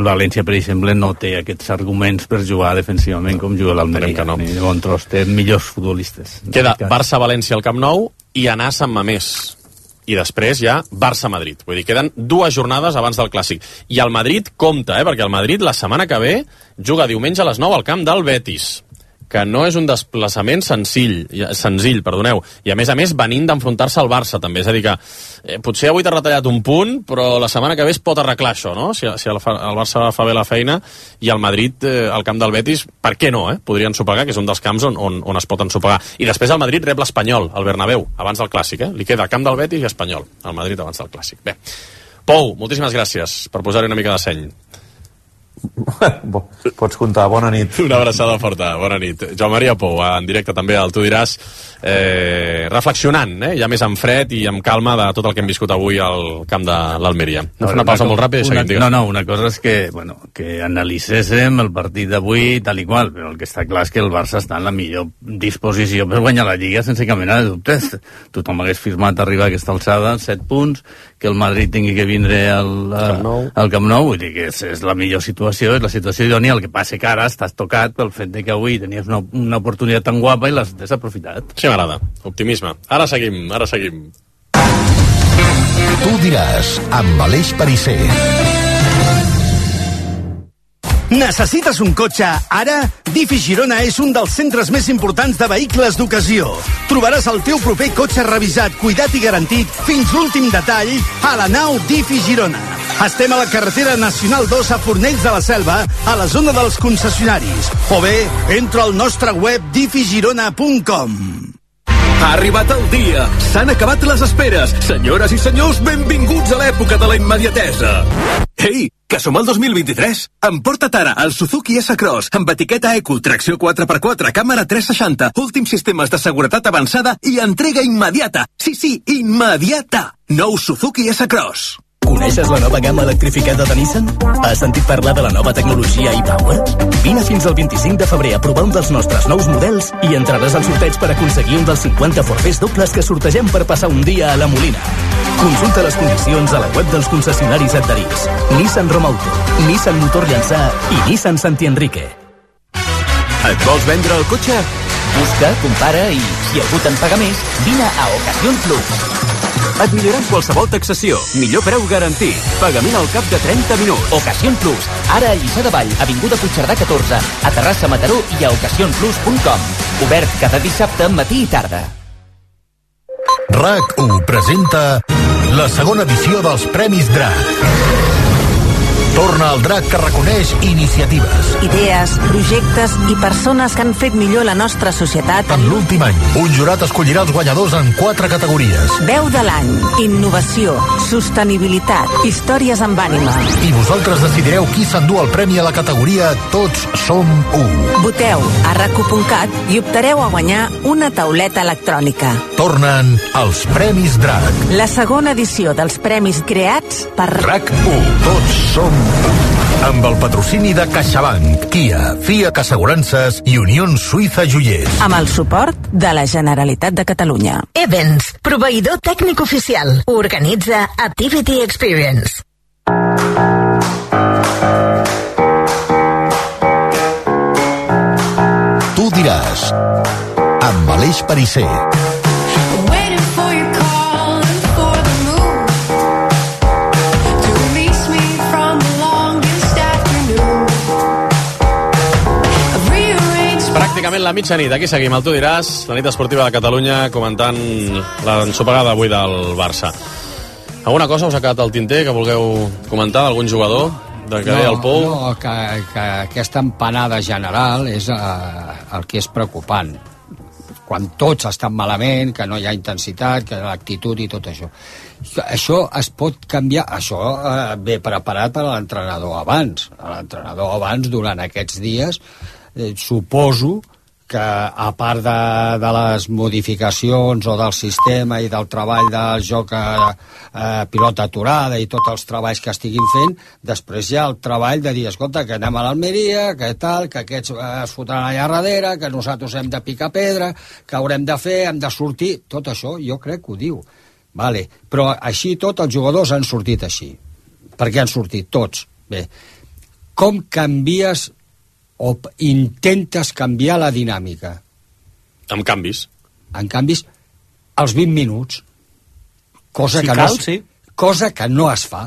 València, per exemple, no té aquests arguments per jugar defensivament com juga l'Almeria. Ni de bon tros, té millors futbolistes. Queda Barça-València al Camp Nou i anar a Sant Mamés. I després ja Barça-Madrid. Vull dir, queden 2 jornades abans del Clàssic. I el Madrid compta, perquè el Madrid la setmana que ve juga diumenge a les 9 al camp del Betis, que no és un desplaçament senzill, i a més venint d'enfrontar-se al Barça també, és a dir que potser avui t'ha retallat un punt, però la setmana que ve es pot arreglar això, no? Si el Barça fa bé la feina i el Madrid al camp del Betis, per què no, podrien ensopegar, que és un dels camps on es pot ensopegar. I després el Madrid rep l'Espanyol, al Bernabéu, abans del Clàssic, li queda camp del Betis i Espanyol, el Madrid abans del Clàssic. Bé, Pou, moltíssimes gràcies per posar-hi una mica de seny. Pots comptar, bona nit. Una abraçada forta, bona nit. Joan Maria Pou, en directe també al Tu diràs, reflexionant, ja més en fred i amb calma de tot el que hem viscut avui al camp de l'Almeria. Una pausa molt ràpida i seguim, digues. No, una cosa és que analitzéssim el partit d'avui tal i qual, però el que està clar és que el Barça està en la millor disposició per guanyar la Lliga sense cap mena de dubtes. Tothom hagués firmat arribar a aquesta alçada, 7 punts, que el Madrid tingui que vindre al Camp Nou, vull dir que és la millor situació, és la situació idònia. El que passa que ara estàs tocat pel fet de que avui tenies una oportunitat tan guapa i l'has desaprofitat. Sí, m'agrada. Optimisme. Ara seguim. Tu diràs, amb Aleix Perisser. Necessites un cotxe ara? Difi Girona és un dels centres més importants de vehicles d'ocasió. Trobaràs el teu proper cotxe revisat, cuidat i garantit fins l'últim detall a la nau Difi Girona. Estem a la carretera Nacional 2 a Fornells de la Selva, a la zona dels concessionaris. O bé, entra al nostre web difigirona.com. Ha arribat el dia. S'han acabat les esperes. Senyores i senyors, benvinguts a l'època de la immediatesa. Ei, que som al 2023. Emporta't ara el Suzuki S-Cross amb etiqueta Eco, tracció 4x4, càmera 360, últims sistemes de seguretat avançada i entrega immediata. Sí, immediata. Nou Suzuki S-Cross. Coneixes la nova gamma electrificada de Nissan? Has sentit parlar de la nova tecnologia e-Power? Vine fins al 25 de febrer a provar un dels nostres nous models i entraràs al sorteig per aconseguir un dels 50 forfers dobles que sortegem per passar un dia a la Molina. Consulta les condicions a la web dels concessionaris adherits. Nissan Romauto, Nissan Motor Llançà i Nissan Santi Enrique. Et vols vendre el cotxe? Busca, compara i, si algú te'n paga més, vine a Ocasión Plus. Et millorem qualsevol taxació. Millor preu garantit. Pagament al cap de 30 minuts. Ocasión Plus. Ara a Lliçà de Vall, avinguda Puigcerdà 14, a Terrassa, Mataró i a ocasionplus.com. Obert cada dissabte, matí i tarda. RAC1 presenta la segona edició dels Premis DRAC. Torna el drac que reconeix iniciatives. Idees, projectes i persones que han fet millor la nostra societat. En l'últim any, un jurat escollirà els guanyadors en 4 categories. Veu de l'any, innovació, sostenibilitat, històries amb ànima. I vosaltres decidireu qui s'endú el premi a la categoria Tots som u. Voteu a rac1.cat i optareu a guanyar una tauleta electrònica. Tornen els Premis Drac. La segona edició dels premis creats per RAC1. Tots som u. Amb el patrocini de CaixaBank, Kia, FIAC Assegurances i Unió Suïssa Joiers. Amb el suport de la Generalitat de Catalunya. Events, proveïdor tècnic oficial. Organitza Activity Experience. Tu diràs, amb Aleix Perisser. Pràcticament la mitjanit, aquí seguim, el Tu diràs, la nit esportiva de Catalunya, comentant l'ensopegada avui del Barça. Alguna cosa us ha quedat al tinter que vulgueu comentar d'algun jugador? Que deia el Pou? No, que aquesta empanada general és el que és preocupant. Quan tots estan malament, que no hi ha intensitat, que l'actitud i tot això. Això es pot canviar, això ve preparat per a l'entrenador abans. L'entrenador abans, durant aquests dies, suposo que a part de les modificacions o del sistema i del treball del joc pilota aturada i tots els treballs que estiguin fent, després hi ha el treball de dir, escolta, que anem a l'Almeria, que tal, que aquests es fotran allà darrere, que nosaltres hem de picar pedra, que haurem de fer, hem de sortir, tot això jo crec que ho diu. Vale. Però així tot els jugadors han sortit així. Per què han sortit? Tots. Bé, com canvies o intentes canviar la dinàmica? Amb canvis. En canvis, als 20 minuts. Cosa que no es fa.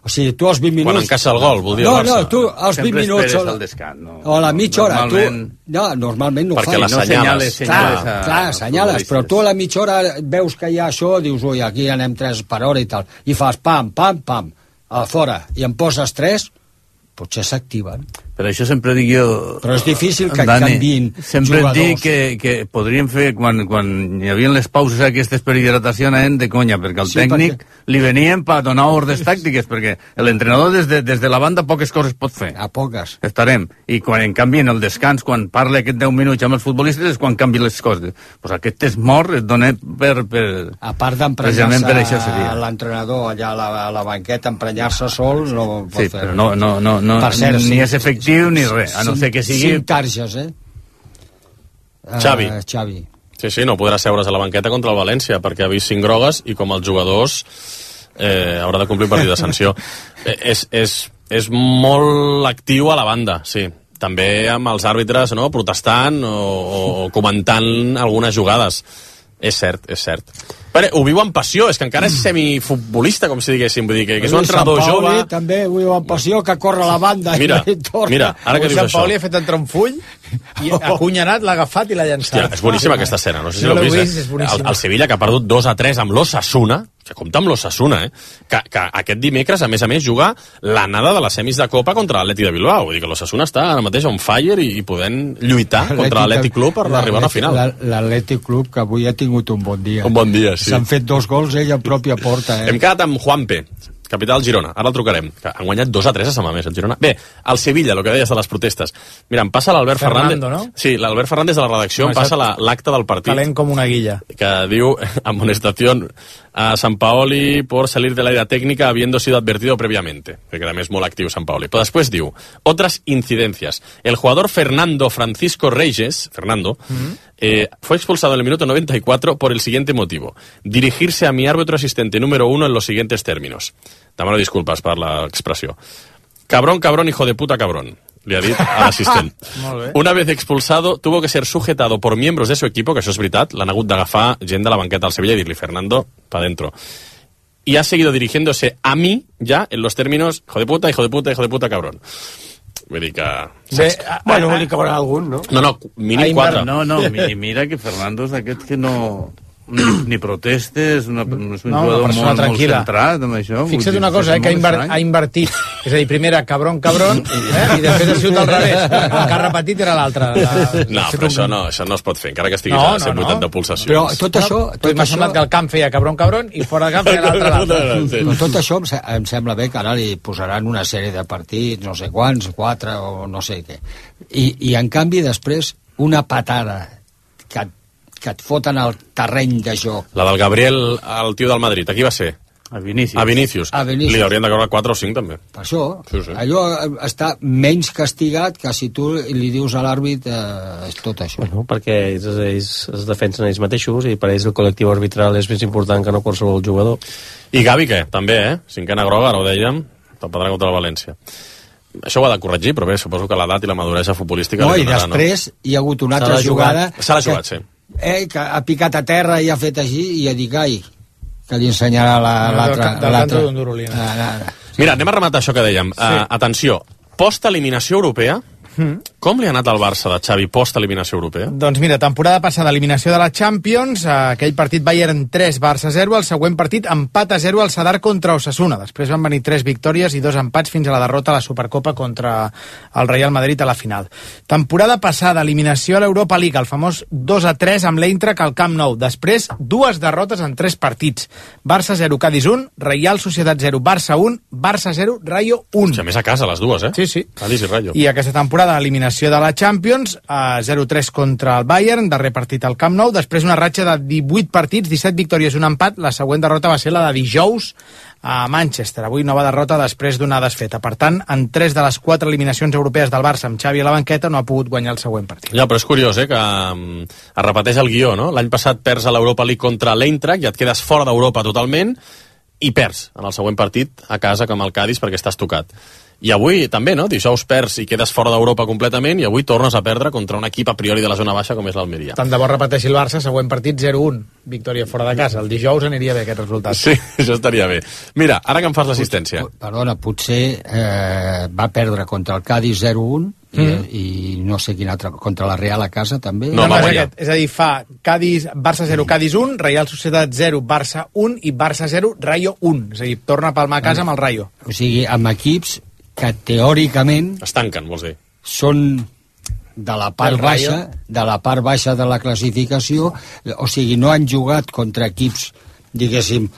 O sigui, tu als 20 minuts... Quan encaixa el gol, vol dir el Barça. No, tu als 20 minuts... Sempre esperes el descans, no? O a la mitja hora. Normalment no ho fas. Perquè les senyales. Clar, senyales, però tu a la mitja hora veus que hi ha això, dius, ui, aquí anem 3 per hora i tal, i fas pam, pam, pam, a fora, i en poses 3, potser s'activen. Per això sempre dic jo... Però és difícil que canviïn sempre jugadors. Sempre dic que podríem fer, quan hi havia les pauses aquestes per hidratació, anaven de conya, perquè el tècnic li venien per donar ordres tàctiques, perquè l'entrenador des de la banda poques coses pot fer. A poques. Estarem. I quan en canvi en el descans, quan parla aquest 10 minuts amb els futbolistes, és quan canvien les coses. Pues aquest és mort, es dona per... A part d'emprenyar-se l'entrenador allà a la banqueta, emprenyar-se sol, no pot fer. Sí, però no, per cert, ni és efectiu ni res, a no ser que sigui... 5 targes, Xavi. Sí, no podrà seure's a la banqueta contra el València, perquè ha vist 5 grogues i com els jugadors haurà de complir partit de sanció. És molt actiu a la banda, sí. També amb els àrbitres, no?, protestant o comentant algunes jugades. És cert. Però ho viu amb passió, és que encara és semifutbolista, com si diguéssim, vull dir que és un entrenador jove. També ho viu amb passió, que corre a la banda. Mira, ara que dius això. Sant Pauli ha fet entrar un full i acunyanat, l'ha agafat i l'ha llançat. Hòstia, és boníssima aquesta escena, no sé si l'heu vist. El Sevilla, que ha perdut 2-3 amb l'Osasuna, que compta amb l'Osasuna, que aquest dimecres, a més, juga l'anada de les semis de Copa contra l'Atlètic de Bilbao. Vull dir que l'Osasuna està ara mateix on fire i podent lluitar contra l'Atlètic Club per arribar a la final. L'Atlètic Club, que avui ha tingut un bon dia. Un bon dia, sí. S'han fet 2 gols ell en pròpia porta. Hem quedat amb Juanpe, capità del Girona. Ara el trucarem. Han guanyat 2-3 a Samamés, el Girona. Bé, el Sevilla, el que deies de les protestes. Mira, em passa l'Albert Fernández. ¿no? Sí, l'Albert Fernández de la redacció em passa l'acte del partit. Calent com una guilla. Que diu, amonestación a Sampaoli por salir de la idea técnica habiendo sido advertido previamente. Que també és molt actiu Sampaoli. Però després diu, otras incidencias. El jugador Fernando Francisco Reyes, fue expulsado en el minuto 94 por el siguiente motivo. Dirigirse a mi árbitro asistente número 1 en los siguientes términos. Demano disculpes per l'expressió. Cabrón, hijo de puta, cabrón. Le ha dit a l'assistent. Una vez expulsado, tuvo que ser sujetado por miembros de su equipo, que això és veritat, l'han hagut d'agafar gent de la banqueta del Sevilla i dir-li, Fernando, pa dentro. Y ha seguido dirigiéndose a mí, ya, en los términos, hijo de puta, cabrón. Vull dir que... Bueno, vol dir que haurà algun, no? No, mínim 4. No, mira que Fernando és d'aquest que no ni protestes, és un jugador molt centrat amb això. Fixa't una cosa, que ha invertit. És a dir, primera, cabron, i després ha sigut al revés. El que ha repetit era l'altre. No, però això no es pot fer, encara que estiguis a 180 de pulsacions. Però tot això... M'ha semblat que el camp feia cabron, i fora del camp feia l'altre. Però tot això em sembla bé que ara li posaran una sèrie de partits, no sé quants, 4 o no sé què. I en canvi, després, una patada que et foten al terreny de joc. La del Gabriel, el tio del Madrid, a qui va ser? A Vinícius. Li haurien de cobrar 4 o 5 també. Per això, allò està menys castigat que si tu li dius a l'àrbit és tot això. Bueno, perquè ells es defensen ells mateixos i per ells el col·lectiu arbitral és més important que no qualsevol jugador. I Gavi, què? També, cinquena groga, ara ho dèiem, tapadrà contra el València. Això ho ha de corregir, però bé, suposo que l'edat i la maduresa futbolística... No, i després hi ha hagut una altra jugada... Se l'ha jugat, sí. Que ha picat a terra i ha fet així i ha dit, que li ensenyarà l'altre. Mira, anem a rematar això que dèiem. Atenció, post-eliminació europea, com li ha anat al Barça de Xavi post-eliminació europea? Doncs mira, temporada passada, eliminació de la Champions, aquell partit Bayern 3, Barça 0, el següent partit empat a 0 al Sadar contra Osasuna. Després van venir 3 victòries i 2 empats fins a la derrota a la Supercopa contra el Real Madrid a la final. Temporada passada, eliminació a l'Europa League, el famós 2-3 amb l'Eintracht al Camp Nou. Després, 2 derrotes en 3 partits. Barça 0, Cádiz 1, Real Societat 0, Barça 1, Barça 0, Rayo 1. A més a casa, les dues, Sí. Cádiz i Rayo. I aquesta temporada eliminació de la Champions, 0-3 contra el Bayern, darrer partit al Camp Nou, després una ratxa de 18 partits, 17 victòries, un empat, la següent derrota va ser la de dijous a Manchester, avui nova derrota després d'una desfeta. Per tant, en 3 de les 4 eliminacions europees del Barça amb Xavi a la banqueta no ha pogut guanyar el següent partit. Ja, però és curiós, que es repeteix el guió, no? L'any passat perds a l'Europa League contra l'Eintracht i et quedes fora d'Europa totalment i perds en el següent partit a casa com el Cádiz perquè estàs tocat. I avui també, no? Dijous perds i quedes fora d'Europa completament i avui tornes a perdre contra un equip a priori de la zona baixa com és l'Almeria. Tant de bo repeteixi el Barça, següent partit 0-1, victòria fora de casa. El dijous aniria bé aquest resultat. Sí, això estaria bé. Mira, ara que em fas l'assistència. Perdona, potser va perdre contra el Cádiz 0-1 i no sé quin altre, contra la Real a casa també. No, és a dir, fa Barça 0, Cádiz 1, Real Societat 0, Barça 1 i Barça 0, Rayo 1. És a dir, torna a palmar a casa amb el Rayo. O sigui, amb equips que teòricament es tanquen, vols dir? Són de la part baixa de la classificació, o sigui, no han jugat contra equips, diguéssim,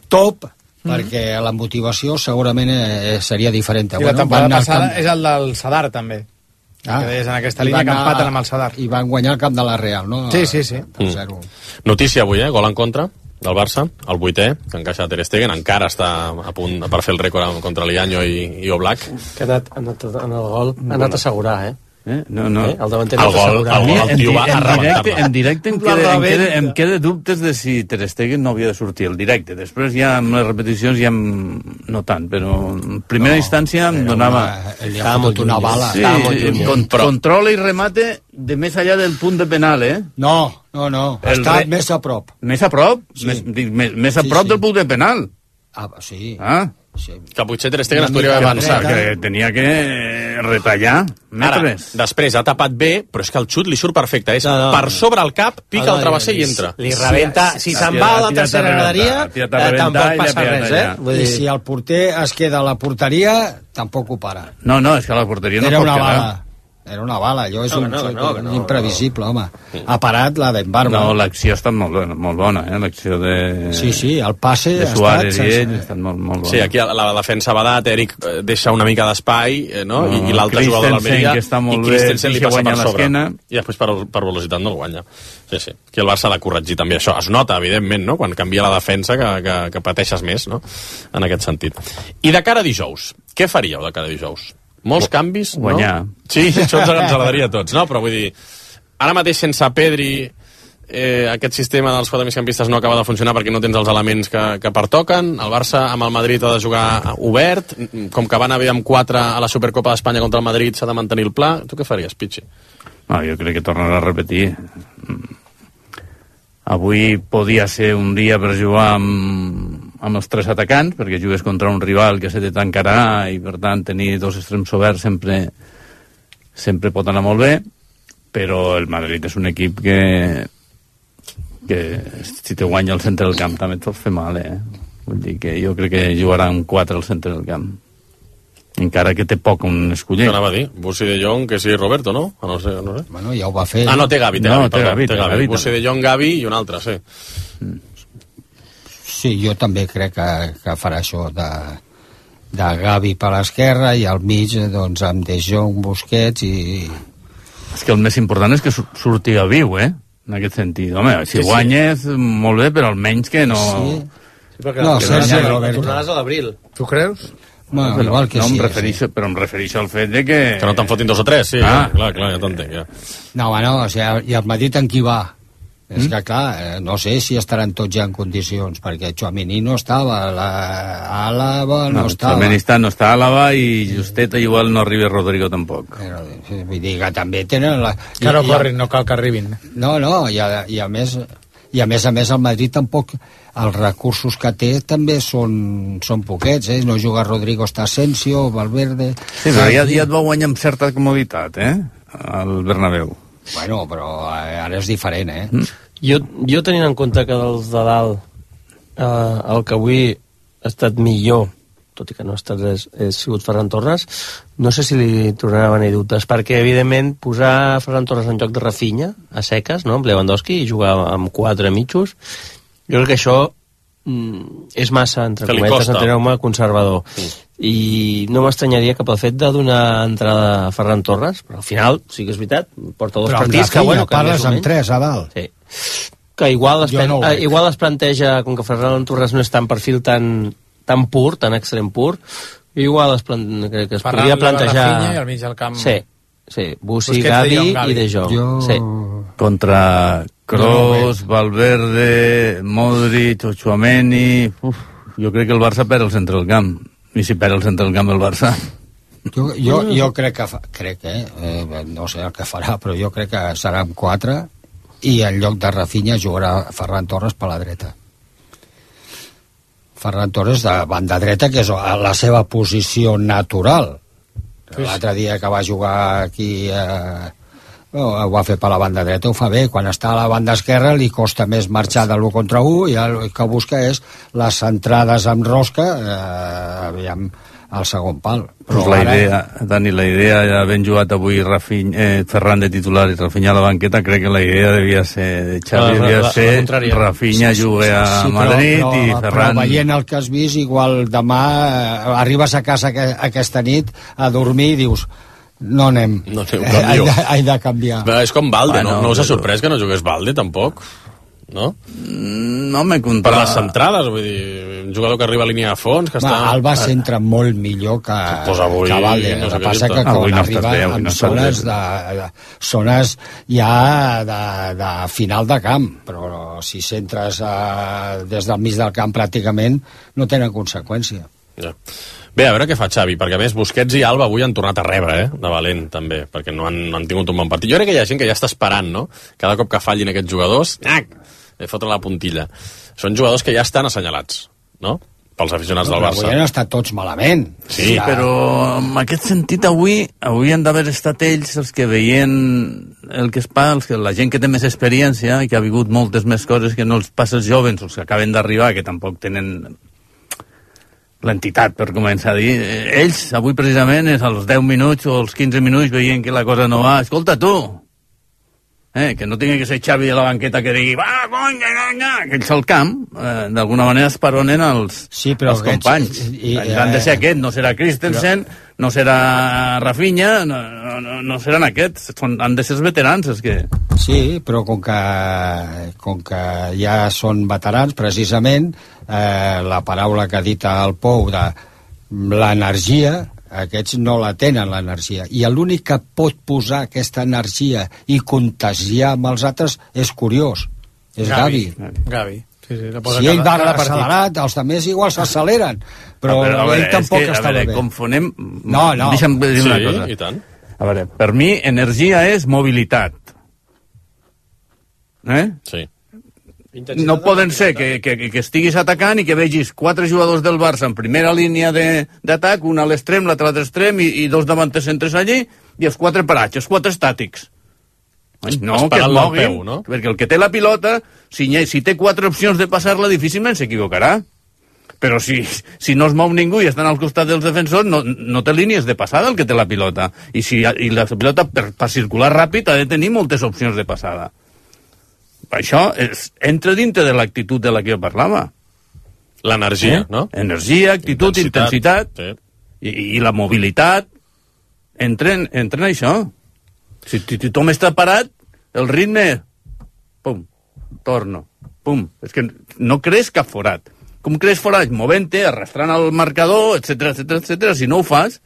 top, perquè la motivació segurament seria diferent. I la temporada passada és el del Sadar, també. Que deies en aquesta línia que empaten amb el Sadar. I van guanyar el camp de la Real, no? Sí. Notícia avui, gol en contra del Barça, el 8è, que encaixa Ter Stegen, encara està a punt per fer el rècord contra l'Ianyo i Oblak. Que ha anat a assegurar, No. El davanter ha anat a assegurar. El tio va a rebentar-la. En directe em queda dubtes de si Ter Stegen no havia de sortir el directe. Després ja amb les repeticions ja no tant, però en primera instància em donava... Estava molt una bala. Sí, controla i remate de més allà del punt de penal, No. Està més a prop. Més a prop? Sí. Més a prop del punt de penal. Sí. Que potser Ter Stegen es podria haver avançat. Que tenia que retallar metres. Ara, després ha tapat bé, però és que el xut li surt perfecte. És per sobre el cap, pica el travesser i entra. Li rebenta. Si se'n va a la tercera graderia, tampoc passa res, I si el porter es queda a la porteria, tampoc ho para. No, és que a la porteria no pot quedar. Era una bala, allò és imprevisible, home. Ha parat la d'en Barba. No, l'acció ha estat molt bona, l'acció de... Sí, el passe ha estat molt bona. Sí, aquí la defensa va dat, Eric deixa una mica d'espai, no? I l'altre jugador de l'Almeria, i Christensen li passa per sobre. I després per velocitat no el guanya. Sí. Aquí el Barça ha de corregir també això. Es nota, evidentment, no? Quan canvia la defensa que pateixes més, no? En aquest sentit. I de cara a dijous, què faríeu de cara a dijous? Molts canvis, guanyar. No? Sí, això ens agradaria a tots, no? Però vull dir, ara mateix sense Pedri aquest sistema dels 4 migcampistes no acaba de funcionar perquè no tens els elements que pertoquen. El Barça amb el Madrid ha de jugar obert, com que van haver amb 4 a la Supercopa d'Espanya contra el Madrid s'ha de mantenir el pla. Tu què faries, Pichi? No, jo crec que tornarà a repetir. Avui podia ser un dia per jugar amb els 3 atacants, perquè jugues contra un rival que se te tancarà i, per tant, tenir 2 extrems oberts sempre pot anar molt bé, però el Madrid és un equip que que si te guanya el centre del camp també et pots fer mal, Vull dir que jo crec que jugarà amb 4 al centre del camp. Encara que té poc un escollet. Anava a dir, Bussi de Jong, que sí, Roberto, no? No sé. Bueno, ja ho va fer. No, té Gavi. Té Gavi. Bussi de Jong, Gavi i un altre, sí. Sí, jo també crec que farà això de Gavi per l'esquerra i al mig, doncs, amb De Jong, Busquets i... És que el més important és que surti a viu, en aquest sentit. Home, si guanyes, molt bé, però almenys que no... Sí, perquè no, Sergi Roberto. Tornaràs a l'abril. Tu creus? Bueno, igual que no, sí. Però em refereixo al fet de que... Que no te'n fotin 2 o 3, sí. Clar, ja t'entenc, ja. No, o sigui, i el Madrid en qui va? És que, clar, no sé si estaran tots ja en condicions, perquè Tchouaméni no estava, Àlava no estava. Tchouaméni no està Àlava i justet igual no arriba Rodrigo tampoc. Però, vull dir que també tenen... Que no corrin, no cal que arribin. No, i a més el Madrid tampoc, els recursos que té també són poquets, no juga Rodrigo, està Asensio, Valverde... Sí, però ja et va guanyar amb certa comoditat, al Bernabéu. Bueno, però ara és diferent, Jo tenint en compte que dels de dalt el que avui ha estat millor, tot i que no ha estat res, ha sigut Ferran Torres, no sé si li tornarà a venir dubtes, perquè evidentment posar Ferran Torres en lloc de Rafinha a seques, no?, amb Lewandowski, i jugar amb 4 mitjos, jo crec que això és massa, entre cometes, enteneu-me, conservador. I no m'estranyaria que pel fet de donar entrada a Ferran Torres, però al final, sí que és veritat, porta 2 partits que, bueno, que parles amb 3 a dalt. Sí. Que igual es planteja, com que Ferran Torres no és tan perfil tan pur, tan extrem pur, igual es podria plantejar... Rafinha i al mig del camp... Sí, Bussi, Gavi i De Jong. Sí. Contra Kroos, Valverde, Modric, Tchouaméni... Jo crec que el Barça perd el centre del camp. I si perd el centre del camp el Barça... Jo crec que no sé el que farà, però jo crec que serà amb 4 i en lloc de Rafinha jugarà Ferran Torres per la dreta. Ferran Torres de banda dreta, que és la seva posició natural. L'altre dia que va jugar aquí ho va fer per la banda dreta, ho fa bé. Quan està a la banda esquerra li costa més marxar de l'1 contra 1 i el que busca és les centrades amb rosca al segon pal. Però la idea, Dani, ja ben jugat avui Ferran de titular i Rafinha a la banqueta, crec que la idea devia ser de Xavi, devia ser Rafinha jugue a Madrid i Ferran... Però veient el que has vist, igual demà arribes a casa aquesta nit a dormir i dius no anem, he de canviar. És com Valde, no us ha sorprès que no jugués Valde, tampoc? No? No m'he comptat. Per les centrades, vull dir, un jugador que arriba a línia de fons, que està... Alba s'entra molt millor que Valde. El que passa que quan arriba en zones ja de final de camp, però si s'entres des del mig del camp pràcticament no tenen conseqüència. Ja. Bé, a veure què fa Xavi, perquè a més Busquets i Alba avui han tornat a rebre, de valent, també, perquè no han tingut un bon partit. Jo crec que hi ha gent que ja està esperant, no?, cada cop que fallin aquests jugadors, fotre la puntilla. Són jugadors que ja estan assenyalats, no?, pels aficionats del Barça. Avui han estat tots malament. Sí, però en aquest sentit avui han d'haver estat ells els que veien el que es passa, la gent que té més experiència i que ha vigut moltes més coses que no els passa els jovens, els que acaben d'arribar, que tampoc tenen l'entitat, per començar a dir. Ells, avui precisament, és als 10 minuts o als 15 minuts veient que la cosa no va. Escolta, tu, que no tingui que ser Xavi a la banqueta que digui va, conya, que ells al camp, d'alguna manera esperonen els companys. Han de ser aquest, no serà Christensen, no serà Rafinha, no seran aquests, han de ser els veterans. Sí, però com que ja són veterans, precisament, la paraula que ha dit el Pou de l'energia, aquests no la tenen, l'energia, i l'únic que pot posar aquesta energia i contagiar amb els altres és curiós, és Gavi. Si ell va accelerat, els altres igual s'acceleren, però ell tampoc estava bé. Confonem... No. Deixa'm dir una cosa. I tant. A veure, per mi energia és mobilitat. Sí. No poden ser que estiguis atacant i que vegis 4 jugadors del Barça en primera línia d'atac, un a l'extrem, l'altre a l'altre extrem i 2 davanters centres allí i els 4 parats, els 4 estàtics. No, que es moguin, no? Perquè el que té la pilota, si té 4 opcions de passar-la, difícilment s'equivocarà. Però si no es mou ningú i estan al costat dels defensors, no té línies de passada el que té la pilota. I la pilota, per circular ràpid, ha de tenir moltes opcions de passada. Això entra dintre de l'actitud de la que jo parlava. L'energia, no? Energia, actitud, intensitat sí. I la mobilitat entren això. Si tothom està parat, el ritme pum, torno, pum. És que no crees cap forat. Com crees forat? Movent-te, arrastrant el marcador, etc. Si no ho fas...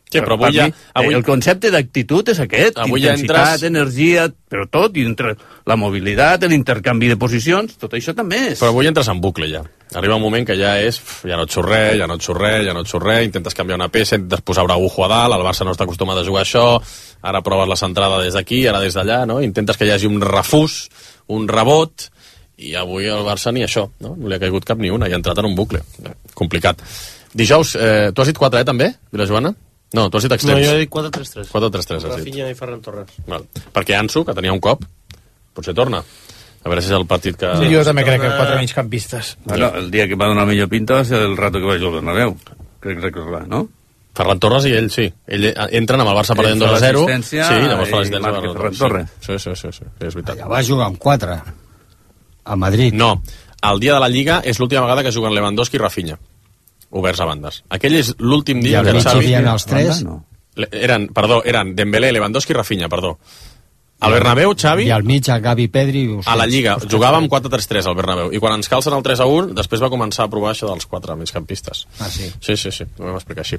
Sí, però avui el concepte d'actitud és aquest, intensitat, energia, però tot, i entre la mobilitat, l'intercanvi de posicions, tot això també és. Però avui entres en bucle, ja. Arriba un moment que ja és, ja no et surt res, intentes canviar una peça, intentes posar Araujo a dalt, el Barça no està acostumat a jugar això, ara proves la centrada des d'aquí, ara des d'allà, no? Intentes que hi hagi un refús, un rebot, i avui el Barça ni això, no? No li ha caigut cap ni una, i ha entrat en un bucle. Complicat. Dijous, tu has dit 4, també, Vilajoana? No, tu has dit extrems. No, jo he dit 4-3-3. 4-3-3 has dit. Rafinha i Ferran Torres. Val. Perquè Ansu, que tenia un cop, potser torna. A veure si és el partit que... Sí, jo també crec que 4 migcampistes. Bueno, el dia que va donar millor pinta va ser el rato que va jugar al Bernabéu. Crec recordar, no? Ferran Torres i ell, sí. Ell entren amb el Barça perdent 2-0. Sí, llavors fa l'assistència. Ferran Torres. Sí, és veritat. Ja va jugar amb 4 a Madrid. No, el dia de la Lliga és l'última vegada que juguen Lewandowski i Rafinha. Oberts a bandes. Aquell és l'últim dia que Xavi... I els 3? Eren Dembélé, Lewandowski i Rafinha, perdó. Al Bernabéu, Xavi... I al mig, a Gavi, Pedri... A la Lliga, jugàvem 4-3-3 al Bernabéu. I quan ens calcen el 3-1, després va començar a provar això dels 4 migcampistes. Ah, sí? Sí, ho vam explicar així.